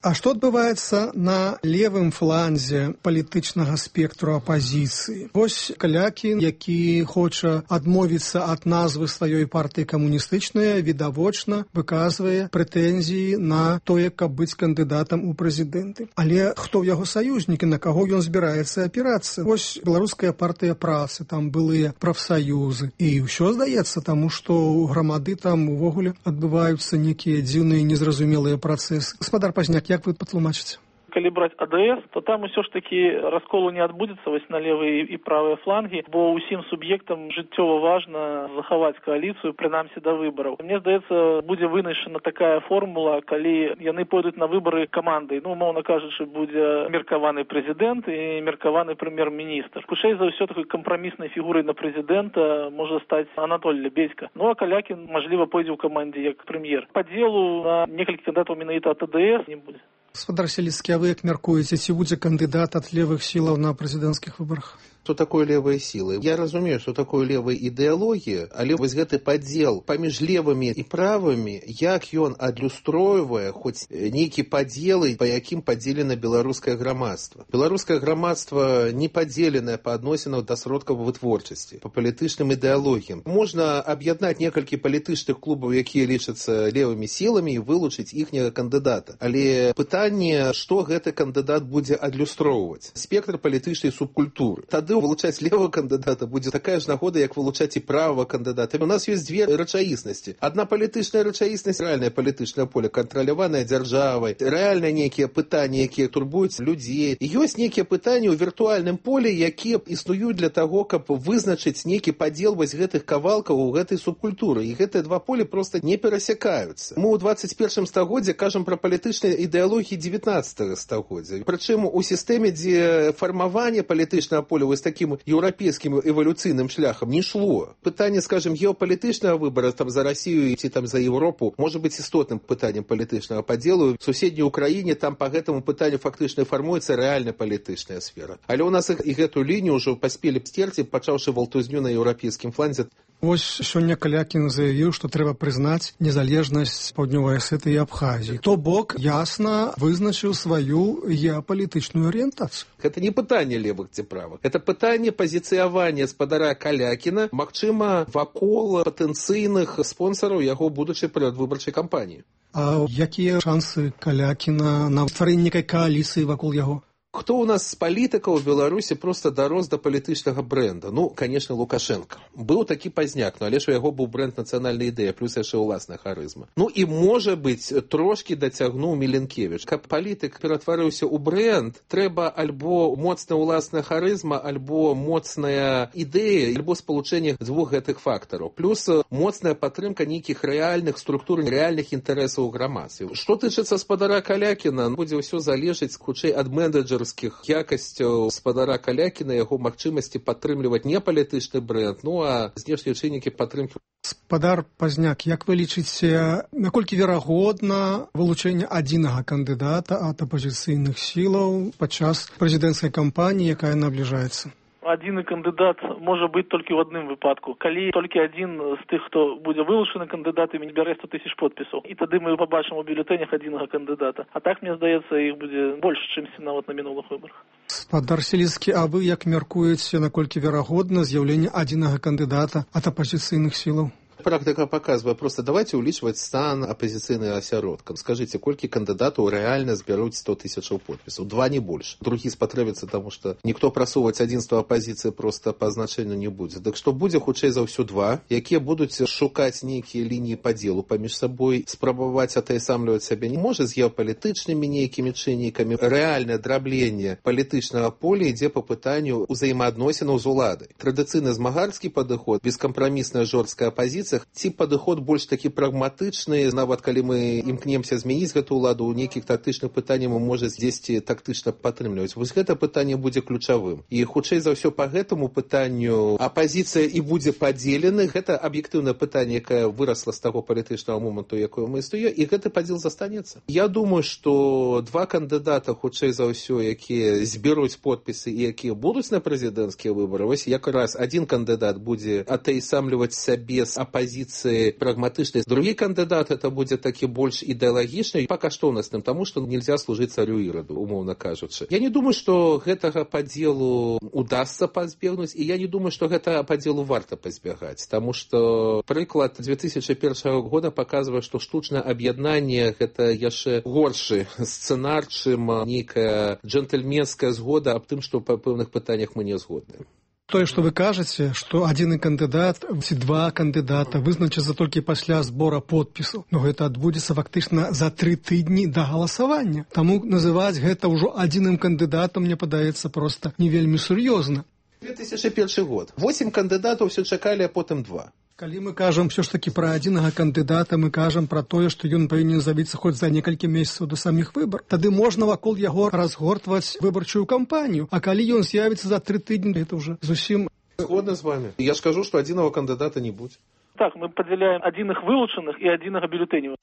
А што адбываецца на левым фланзе палітычнага спектру апазіцыі? Вось Калякін, які хоча адмовіцца ад назвы сваёй партыі камуністычнай, відавочна выказвае прэтэнзіі на тое, каб быць кандыдатам у прэзідэнты. Але хто ў яго саюзнікі, на каго ён збіраецца апірацца? Вось беларуская партыя працы, там былыя прафсаюзы. І ўсё здаецца, таму што ў грамады там увогуле адбываюцца нейкія дзіўныя незразумелыя працэсы. Гаспадар Пазняк, як вы патлумачыце? Калі браць АДС, то там усё ж такі расколу не адбудзецца вось на левыя і правыя флангі, бо ўсім суб'ектам жыццёва важна захаваць кааліцыю, прынамсі да выбараў. Мне здаецца, будзе вынайшана такая формула, калі яны пойдуць на выбары камандай. Ну, умоўна кажучы, будзе меркаваны прэзідэнт і меркаваны прэм'ер-міністр. Хутчэй за ўсё такой кампраміснай фігурай на прэзідэнта можа стаць Анатоль Лебедзька. Ну, а Калякін, мажліва, пойдзе ў камандзе як прэм'ер. Падзелу на некалькі кандыдатаў менавіта ад АДС не будзе. Гаспадар Сіліцкі, а вы як мяркуеце, ці будзе кандыдат ад левых сілаў на прэзідэнцкіх выбарах? Што такое левыя сілы? Я разумею, што такое левая ідэалогія, але вось гэты падзел паміж левымі і правымі, як ён адлюстройвае хоць нейкі падзелы, па якім падзелена беларускае грамадства. Беларускае грамадства не падзеленае па адносінах да сродкаў вытворчасці, па палітычным ідэалогіям. Можна аб'яднаць некалькі палітычных клубаў, якія лічацца левымі сіламі, і вылучыць іхняга кандыдата. Але пытанне, што гэты кандыдат будзе адлюстроўваць. Спектр палітычнай субкультуры. Тады вылучаць левого кандыдата будзе такая ж нагода, як вылучаць і правого кандыдата. У нас ёсць дзве рэчаіснасці. Адна палітычная рэчаіснасць, рэальнае палітычнае поле, кантраляванае дзяржавай, рэальныя нейкія пытанні, якія турбуюць людзей. І ёсць нейкія пытанні ў віртуальным поле, якія існуюць для таго, каб вызначыць нейкі падзел вось гэтых кавалкаў у гэтай субкультуры. І гэтыя два полі проста не перасякаюцца. Мы ў двадцать першым стагоддзі кажам пра палітычныя ідэалогіі дзевятнаццатага стагоддзя. Прычым у сістэме, дзе фармаванне палітычнага поля вось таким еўрапейскім эвалюцыйным шляхам не шло. Пытанне, скажем, геапалітычнага выбара там за Расію ці там за Еўропу можа быць істотным пытаннем палітычнага падзелу. В суседняй Украіне там па гэтаму пытанню фактычна фармуецца рэальна палітычная сфера. Але ў нас і гэту лінію ўжо паспелі сцерці, пачаўшы валтузню на еўрапейскім фланзе. Вось сёння Калякін заявіў, што трэба прызнаць незалежнасць Паўднёвай Асетыі і Абхазіі. То бок ясна вызначыў сваю геапалітычную арыентацыю. Гэта не пытанне левых ці правых. Гэта пытанне пазіцыявання спадара Калякіна, магчыма, вакол патэнцыйных спонсараў яго будучай перадвыбарчай кампаніі. А якія шансы Калякіна на стварэнне некай кааліцыі вакол яго? Хто у нас з палітыкаў у Беларусі проста дарос да палітычнага брэнда? Ну, конечно, Лукашенко. Быў такі Пазняк, но але ж у яго быў брэнд нацыянальная ідэя, плюс яшчэ ўласная харызма. Ну і, можа быць, трошкі дацягнуў Міленкевіч. Каб палітык ператварыўся ў брэнд, трэба альбо моцная ўласная харызма, альбо моцная ідэя, альбо спалучэнне дзвюх гэтых фактараў. Плюс моцная падтрымка нейкіх рэальных структур, рэальных інтарэсаў у грамадстве. Што тычыцца спадара Калякіна, будзе ўсё залежыць хутчэй ад менеджера якасцяў спадара Калякіна, яго магчымасці падтрымліваць не палітычны брэнд, ну а знешнія чыннікі падтрымкі. Спадар Пазняк, як вы лічыце, наколькі верагодна вылучэнне адзінага кандыдата ад апазіцыйных сілаў падчас прэзідэнцкай кампаніі, якая набліжаецца? Адзіны кандыдат можа быць толькі ў адным выпадку. Калі толькі адзін з тых, хто будзе вылучаны кандыдатамі, не бярэ сто тысяч подпісаў. І тады мы пабачым у бюлетэнях адзінага кандыдата. А так, мне здаецца, іх будзе больш, чымсьці нават на мінулых выбарах. Спадар Сіліцкі, а вы як мяркуеце, наколькі верагодна з'яўленне адзінага кандыдата ад апазіцыйных сілаў? Практика показывает, просто давайте увеличивать стан оппозиционным осяродкам. Скажите, сколько кандидатов реально сберут сто тысяч подписей? Два, не больше. Другие спотребятся, потому что никто просовывать одинство оппозиции просто по значению не будет. Так что будет хутчэй за ўсё два, якія будут шукать некие линии по делу поміж собой, спробовать атаясамліваць сябе не может с геополитичными некими чыннікамі. Реальное дробление политичного поля ідзе по пытанню узаемаадносінаў з уладай. Традыцыйны змагарскі падыход, бескомпромиссная жорсткая оппозиция апазіцыях, ці падыход больш такі прагматычны, нават калі мы імкнемся змяніць гэту ўладу, у нейкіх тактычных пытанняў можа дзесьці тактычна падтрымліваць. Вось гэта пытанне будзе ключавым. І хутчэй за ўсё па гэтаму пытанню апазіцыя і будзе падзелены. Гэта аб'ектыўнае пытанне, якое вырасла з таго палітычнага моманту, якое мы існуе, і гэты падзел застанецца. Я думаю, што два кандыдата, хутчэй за ўсё, якія зберуць подпісы і якія будуць на прэзідэнцкія выбары, вось якраз адзін кандыдат будзе атаясамліваць сябе з апазіцыі прагматычнай. Другі кандыдат это будзе такі больш ідэалагічны і па каштоўнасным, таму што нельзя служыць царю Іраду, умоўна кажучы. Я не думаю, што гэтага падзелу удасца пазбегнуць, і я не думаю, што гэта падзелу варта пазбягаць, таму што прыклад две тысячы першага года паказвае, што штучнае аб'яднанне гэта яшчэ горшы сцэнар, чым нейкая джентльменская згода аб тым, што па пэўных пытаннях мы не згодны. Тое, што вы кажаце, што адзін кандыдат ці два кандыдата вызначацца толькі пасля збора подпісаў, но гэта адбудзецца фактычна за тры тыдні да галасавання. Таму называць гэта ўжо адзіным кандыдатам, мне падаецца, проста не вельмі сур'ёзна. две тысячы першы год. Восем кандыдатаў ўсё чакалі, а потым два. Калі мы кажам ўсё ж такі пра адзінага кандыдата, мы кажам пра тое, што ён павінен з'явіцца хоць за некалькі месяцаў да саміх выбар. Тады можна вакол яго разгортваць выбарчую кампанію. А калі ён з'явіцца за тры тыдні, гэта ўжо зусім... Згодна з вами. Я скажу, што адзінага кандыдата не будзе. Так, мы падзяляем адзіных вылучаных і адзінага бюлетэняў.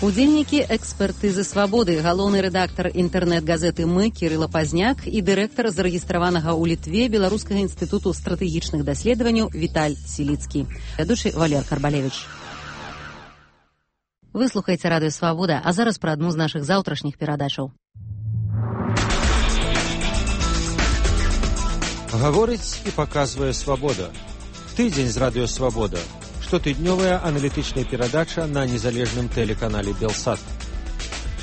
Удзельнікі экспертызы «Свабоды», галоўны рэдактар інтэрнэт-газеты «Мы» Кірыла Пазняк і дырэктар зарэгістраванага ў Літве Беларускага інстытуту стратэгічных даследаванняў Віталь Сіліцкі. Вядучы Валер Карбалевіч. Вы слухаеце радыё «Свабода», а зараз пра адну з нашых заўтрашніх перадачаў. Гаворыць і паказвае «Свабода». Тыдзень з радыё «Свабода». Штотыднёвая аналітычная перадача на незалежным тэлеканале «Белсат».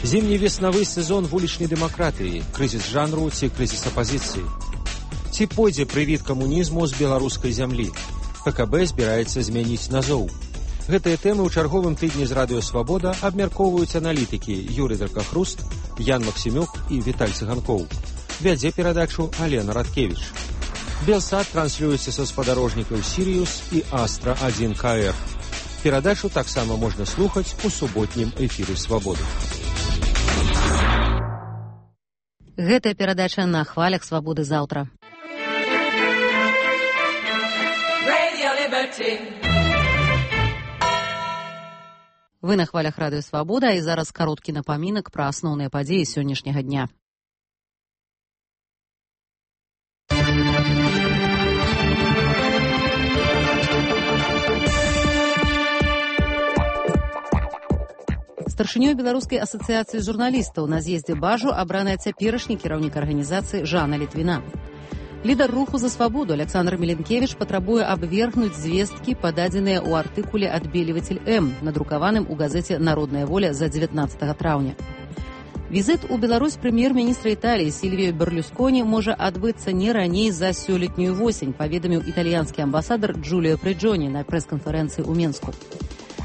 Зімні-веснавы сезон вулічнай дэмакратыі, крызіс жанру ці крызіс апазіцыі. Ці пойдзе прывід камунізму з беларускай зямлі? ПКБ збіраецца змяніць назоў. Гэтыя тэмы ў чарговым тыдні з радыё «Свабода» абмяркоўваюць аналітыкі Юрый Дракахруст, Ян Максімюк і Віталь Цыганкоў. Вядзе перадачу Алена Радкевіч. Белсат транслюецца са спадарожнікаў «Сіріус» і «Астра один ка эр». Перадачу таксама можна слухаць у суботнім эфіры «Свабоды». Гэтая перадача на хвалях «Свабоды» заўтра. Вы на хвалях радыё «Свабода», і зараз кароткі напамінак пра асноўныя падзеі сённяшняга дня. Старшынёй Беларускай асацыяцыі журналістаў на з'ездзе Бажу абраная цяперашні кіраўнік арганізацыі Жанна Літвіна. Лідар руху за свабоду Александр Міленкевіч патрабуе абвергнуць звесткі, пададзеныя ў артыкуле «Адбеліватель М», надрукаваным у газеце «Народная воля» за дзевятнаццатага траўня. Візіт у Беларусь прэм'ер-міністра Італіі Сільвіё Берлюсконі можа адбыцца не раней за сёлетнюю восень, паведаміў італьянскі амбасадар Джуліо Прыджоні на прэс-канферэнцыі ў Менску.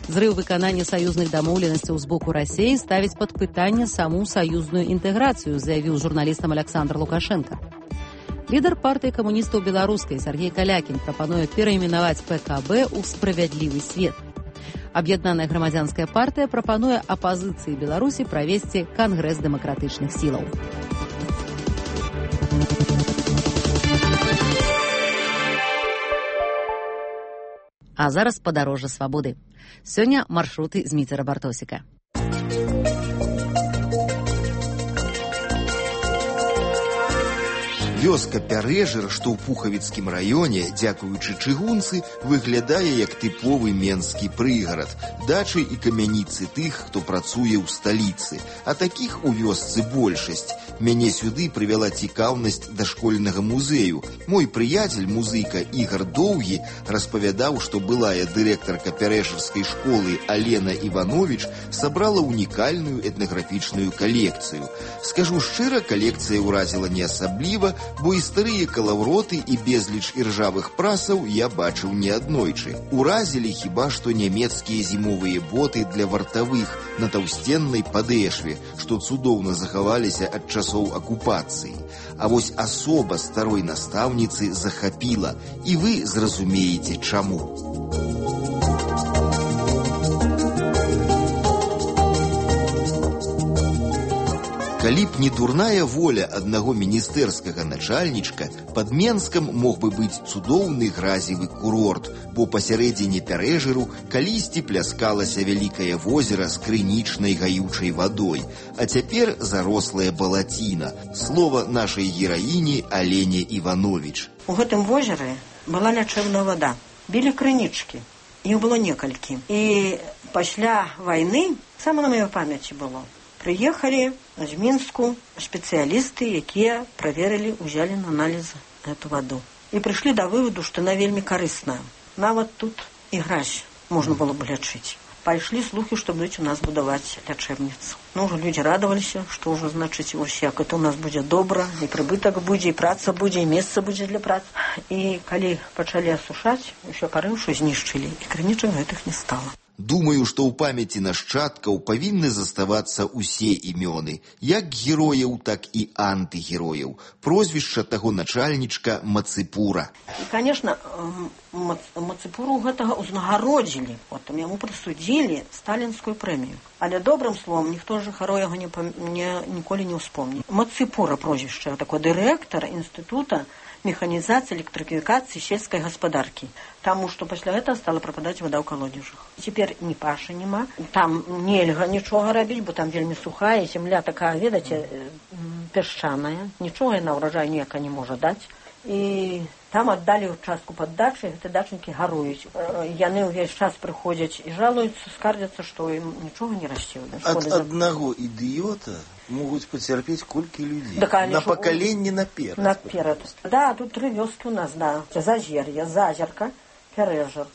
Зрыў выканання саюзных дамоўленасцяў з боку Расіі ставіць пад пытанне саму саюзную інтэграцыю, заявіў журналістам Александр Лукашенко. Лідар партыі камуністаў беларускай Сергей Калякін прапануе перайменаваць ПКБ ў «Справядлівы свет». Аб'яднаная грамадзянская партыя прапануе апазіцыі Беларусі правесці кангрэс дэмакратычных сілаў. А зараз падарожжа свабоды. Сёння маршруты Зміцера Бартосіка. Вёска Пярэжыр, што ў Пухавіцкім раёне, дзякуючы чыгунцы, выглядае як тыповы менскі прыгарад, дачы і камяніцы тых, хто працуе ў сталіцы. А такіх у вёсцы большасць. Мяне сюды прывяла цікаўнасць да школьнага музею. Мой прыяцель, музыка Ігар Доўгі, распавядаў, што былая дырэктарка пярэшарскай школы Алена Іванович сабрала унікальную этнаграфічную калекцыю. Скажу шчыра, калекцыя ўразіла не асабліва, бо і старыя калаўроты і безліч іржавых прасаў я бачыў неаднойчы. Уразілі хіба што нямецкія зімовыя боты для вартавых на таўсценнай падэшве, што цудоўна захаваліся ад часоў акупацыі. А вось асоба старой настаўніцы захапіла, і вы зразумееце чаму. Калі б не дурная воля аднаго міністэрскага начальнічка, пад Менскам мог бы быць цудоўны гразевы курорт, бо пасярэдзіне Пярэжыру калісьці пляскалася вялікае возера з крынічнай гаючай вадой, а цяпер зарослая балаціна. Слова нашай гераіні Алене Іванович. У гэтым возеры была лячэбная вада. Білі крынічкі. Іх было некалькі. І пасля вайны, сама на маёй памяці было, прыехалі з Мінску спецыялісты, якія праверылі, узялі на аналіз эту ваду. І прыйшлі да вываду, што яна вельмі карысная. Нават тут і гразь можна было б лячыць. Пайшлі слухі, што будуць у нас будаваць лячэбніцу. Ну, ўжо людзі радаваліся, што ўжо, значыць, вось як это у нас будзе добра, і прыбытак будзе, і праца будзе, і месца будзе для працы. І калі пачалі асушаць, усё парыўшы знішчылі, і крынічак гэтых не стала. Думаю, што ў памяці нашчадкаў павінны заставацца ўсе імёны, як герояў, так і антыгерояў. Прозвішча таго начальнічка Мацыпура. І, конечно, Мацыпуру гэтага ўзнагародзілі, потым яму прысудзілі сталінскую прэмію. Але добрым словом ніхто з жыхароў яго не, не, ніколі не ўспомні. Мацыпура прозвішча, такой дырэктар інстытута механізацыі, электрыфікацыі сельскай гаспадаркі. Таму што пасля гэтага стала прападаць вада ў калодзежах. Цяпер ні пашы няма, там нельга нічога рабіць, бо там вельмі сухая, зямля такая, ведаце, пясчаная, нічога яна ўраджаю ніяка не можа даць. І там аддалі ўчастку пад дачай, гэты дачнікі гаруюць. Яны ўвесь час прыходзяць і жалуюцца, скардзяцца, што ім нічога не расце. Ад аднаго ідыёта могуць пацярпець колькі людзей. Да, на пакаленне наперад. Наперад. Да, тут тры вёскі ў нас, да. Зазер'е, Зазерка, Пярэжыр.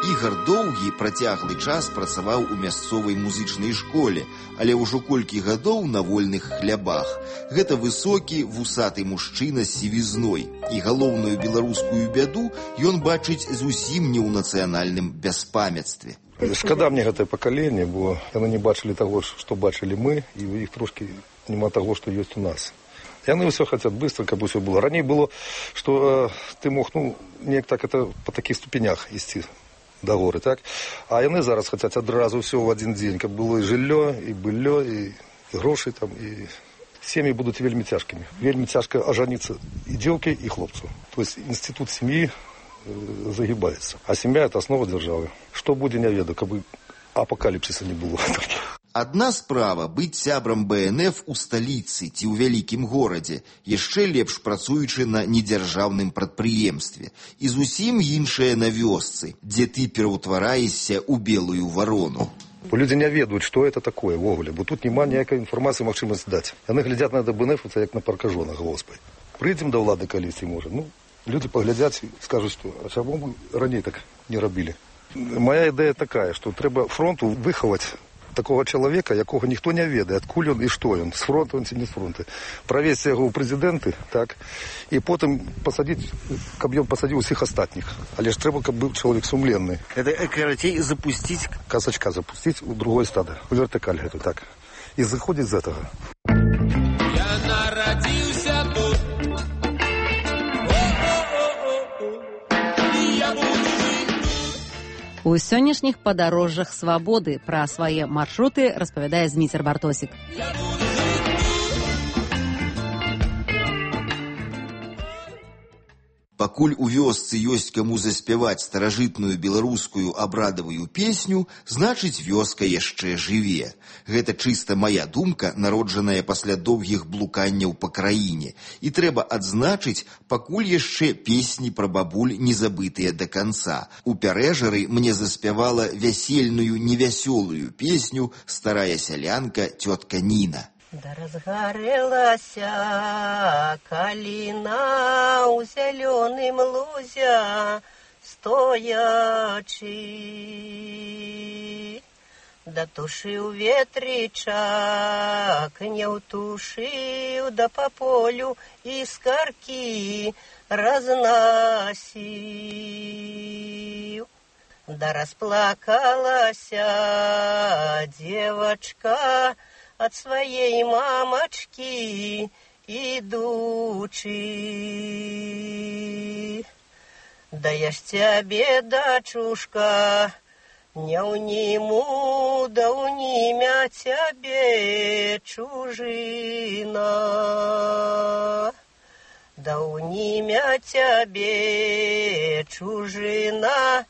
Ігар Доўгі працяглы час працаваў у мясцовай музычнай школе, але ўжо колькі гадоў на вольных хлябах. Гэта высокі, вусаты мужчына з сівізной. І галоўную беларускую бяду ён бачыць зусім не ў нацыянальным бяспамяцтве. Шкада мне гэтае пакаленне, бо яны не бачылі таго, што бачылі мы, і ў іх трошкі няма таго, што ёсць у нас. Яны ўсё хацяць быстро, каб усё было. Раней было, што э, ты мог, ну, неяк так это па такіх ступенях ісці да горы, так? А яны зараз хацяць адразу ўсё ў адзін дзень, каб было і жыллё, і быллё, і, і грошы там, і сем'і будуць вельмі цяжкімі. Вельмі цяжка ажаніцца і дзеўкі, і хлопцу. То есть інстытут сям'і э, загибаецца. А сям'я – это основа дзяржавы. Што будзе, не ведаю, каб апакаліпсіса не было. Адна справа быць сябрам бэ эн эф у сталіцы ці ў вялікім горадзе, яшчэ лепш працуючы на недзяржаўным прадпрыемстве. І зусім іншае на вёсцы, дзе ты пераўтвараешся ў белую варону. Людзі не ведаюць, што это такое ўвогуле, бо тут няма ніякай інфармацыі магчымасць даць. Яны глядзяць на бэ эн эф, як на паркажонах, госпай. Прыйдзем да ўлады калісьці, можа. Ну, людзі паглядзяць і скажуць, што а чаму мы раней так не рабілі. Моя ідэя такая, што трэба фронту выхаваць такого чалавека, якога ніхто не ведае, адкуль ён і што ён, з фронту ён ці не з фронту. Правесці яго ў прэзідэнты, так, і потым пасадзіць, каб ён пасадзіў усіх астатніх. Але ж трэба, каб быў чалавек сумленны. Это, карацей, запусціць... Казачка запусціць у другое стадо, у вертыкаль гэту, так. І заходзіць з гэтага. Я нарадзіўся тут. У сённяшніх падарожжах свабоды пра свае маршруты распавядае Зміцер Бартосік. Пакуль у вёсцы ёсць каму заспяваць старажытную беларускую абрадавую песню, значыць, вёска яшчэ жыве. Гэта чыста мая думка, народжаная пасля доўгіх блуканняў па краіне. І трэба адзначыць, пакуль яшчэ песні пра бабуль не забытыя да канца. У Пярэжары мне заспявала вясельную невясёлую песню старая сялянка цётка Ніна. Да разгарэлася каліна ў зялёным лузя стоячы. Датушыў ветрычак, не ўтушыў, да па полю іскаркі разнасіў. Да расплакалася дзевачка ад сваей мамачкі ідучы. Да я ж цябе, дачушка, не ўніму, да ўнімя цябе чужына. Да ўнімя цябе чужына,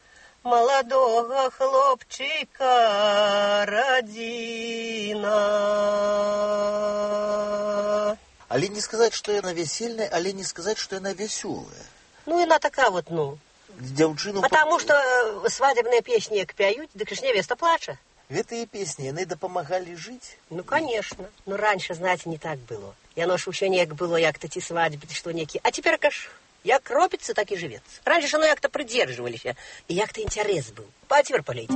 маладога хлопчыка радзіна. Але не сказаць, што яна весельная, але не сказаць, што яна вясёлая. Ну, яна такая вот, ну. Дзяўчыну... Потому что свадебные песни як пяют, дык ж невеста плача. Гэтыя песни, яны дапамагалі жыць? Ну, конечно. Ну, раньше, знаете, не так было. Яно ж усё неяк было, як-то ці свадьбы, ці што некі. А теперь, каш... Як робится, так и живется. Раньше же оно як-то придерживались, и як-то интерес был. А теперь полейте.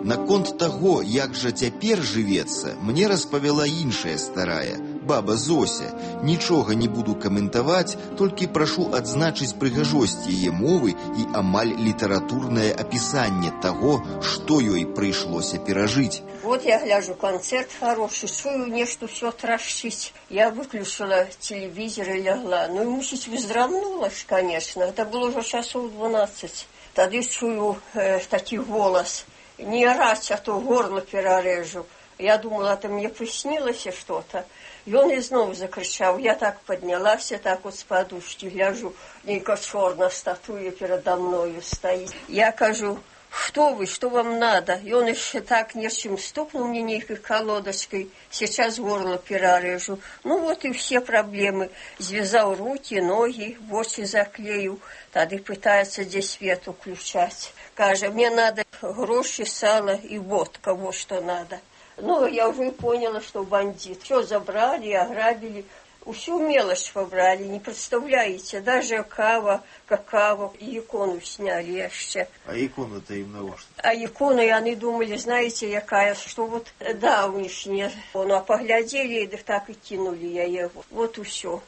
Наконт таго, як жа цяпер жывецца, мне распавяла іншая старая, баба Зося. Нічога не буду каментаваць, толькі прашу адзначыць прыгажосць яе мовы і амаль літаратурнае апісанне таго, што ёй прыйшлося перажыць. Вот я гляжу, концерт хороший, чую, нечто все тращить. Я выключила телевизор и лягла. Ну и мусить выздравнулась, конечно. Это было уже часов двенадцать. Тогда чую э, такой голос. Не орать, а то горло перережу. Я думала, это мне приснилось что-то. И он и снова закричал. Я так поднялась, так вот с подушки гляжу. Ника черная статуя передо мною стоит. Я кажу: что вы, что вам надо? И он еще так нечем стукнул мне некой колодочкой. Сейчас горло перережу. Ну вот и все проблемы. Связал руки, ноги, в очи заклеил. Тогда пытается здесь свет включать. Каже, мне надо гроши, сало и водка, вот что надо. Ну, я уже поняла, что бандит. Все забрали, ограбили. Всю мелочь побрали, не представляете. Даже кава, какао, и икону сняли еще. А икону-то им на что? А икону, и они думали, знаете, якая, что вот, да, у них нет. Ну, а поглядели, и так и кинули я его. Вот и все.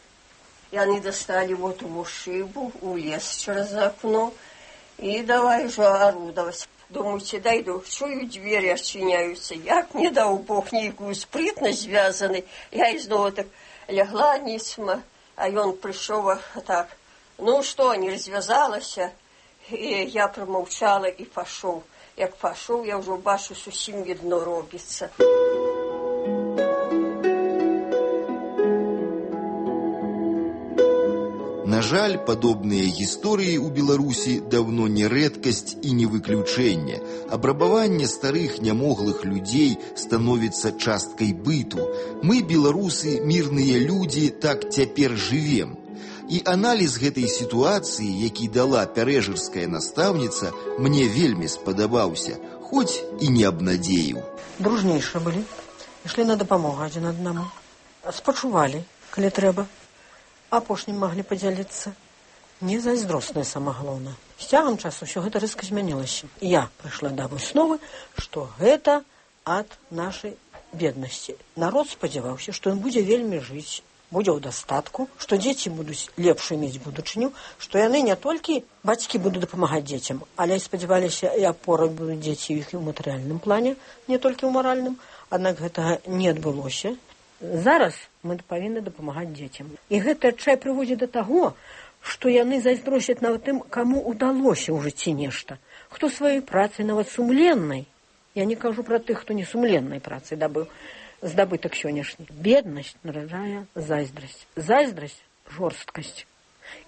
И они достали вот его шибу, улез через окно. И давай уже орудовать. Думаете, дойду, чую, двери отчиняются. Як не дал Бог некую спритность связанной. Я и снова так лягла нисма, а он пришел так. Ну что, не развязалась? И я промолчала и пошел. Як пошел, я уже бачу, совсем видно робится. На жаль, падобныя гісторыі ў Беларусі даўно не рэдкасць і не выключэнне. Абрабаванне старых нямоглых людзей становіцца часткай быту. Мы, беларусы, мірныя людзі, так цяпер жывем. І аналіз гэтай сітуацыі, які дала пярэжырская настаўніца, мне вельмі спадабаўся, хоць і не абнадзеіў. Дружнейшие былі, ішлі на дапамогу адзін аднаму. Спачувалі, калі трэба. Апошнім маглі падзяліцца. Не зайздросная сама галоўна. З цягам часу ўсё гэта рэзка змянілася. Я прыйшла да высновы, што гэта ад нашай беднасці. Народ спадзяваўся, што ён будзе вельмі жыць, будзе ў дастатку, што дзеці будуць лепш мець будучыню, што яны не толькі бацькі будуць дапамагаць дзецям, але і спадзяваліся, і апорай будуць дзеці іх і ў матэрыяльным плане, не толькі ў маральным. Аднак гэтага не адбылося. Зараз мы павінны дапамагаць дзецям. І гэты адчай прыводзіць да таго, што яны зайздросяць нават тым, каму ўдалося ў жыцці нешта. Хто сваёй працай, нават сумленнай, я не кажу пра тых, хто не сумленнай працай дабыў, здабытак сённяшні. Беднасць нараджае зайздрасць. Зайздрасць жорсткасць.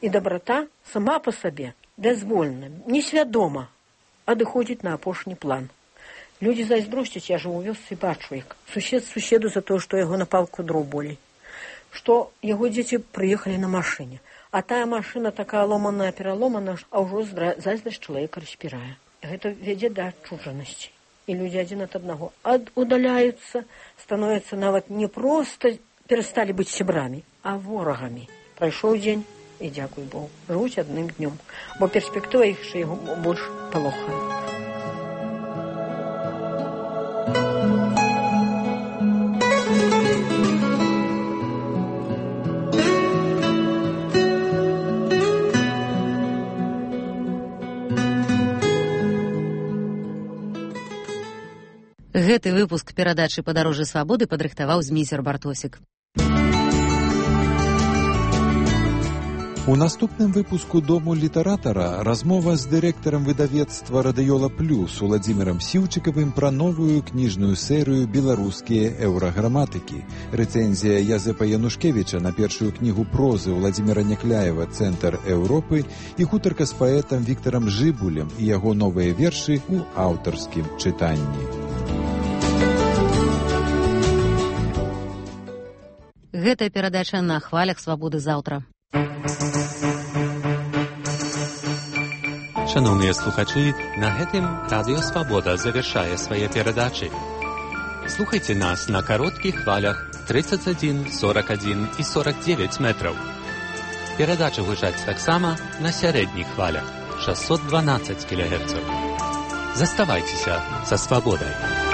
І дабрата сама па сабе дазвольна, несвядома адыходзіць на апошні план. Людзі зайздросцяць, я жыву у вёсцы, бачу, як сусед суседу за тое, што яго на палку дроў болей, што яго дзеці прыехалі на машыне, а тая машына такая ломаная, пераломана, а ўжо зайздрасць чалавека распірае. Гэта вядзе да адчужанасці. І людзі адзін ад аднаго удаляюцца, становяцца нават не проста перасталі быць сябрамі, а ворагамі. Прайшоў дзень, і дзякуй Богу, жывуць адным днём, бо перспектыва іх яшчэ яго больш палохае. Гэты выпуск перадачы «Падарожжа свабоды» падрыхтаваў Зміцер Бартосік. У наступным выпуску «Дому літаратара» размова з дырэктарам выдавецтва «Радыёла Плюс» Уладзімірам Сіўчыкавым пра новую кніжную серыю «Беларускія еўраграматыкі». Рэцэнзія Язэпа Янушкевіча на першую кнігу прозы Уладзіміра Някляева «Цэнтр Еўропы» і гутарка з паэтам Віктарам Жыбулем і яго новыя вершы ў аўтарскім чытанні. Гэтая перадача на хвалях свабоды заўтра. Шановныя слухачы, на гэтым Радыё Свабода завяршае свае перадачы. Слухайце нас на кароткіх хвалях тридцать один, сорок один і сорок девять метраў. Перадача гучаць таксама на сярэдніх хвалях шестьсот двенадцать кілогерцаў. Заставайцеся са свабодай.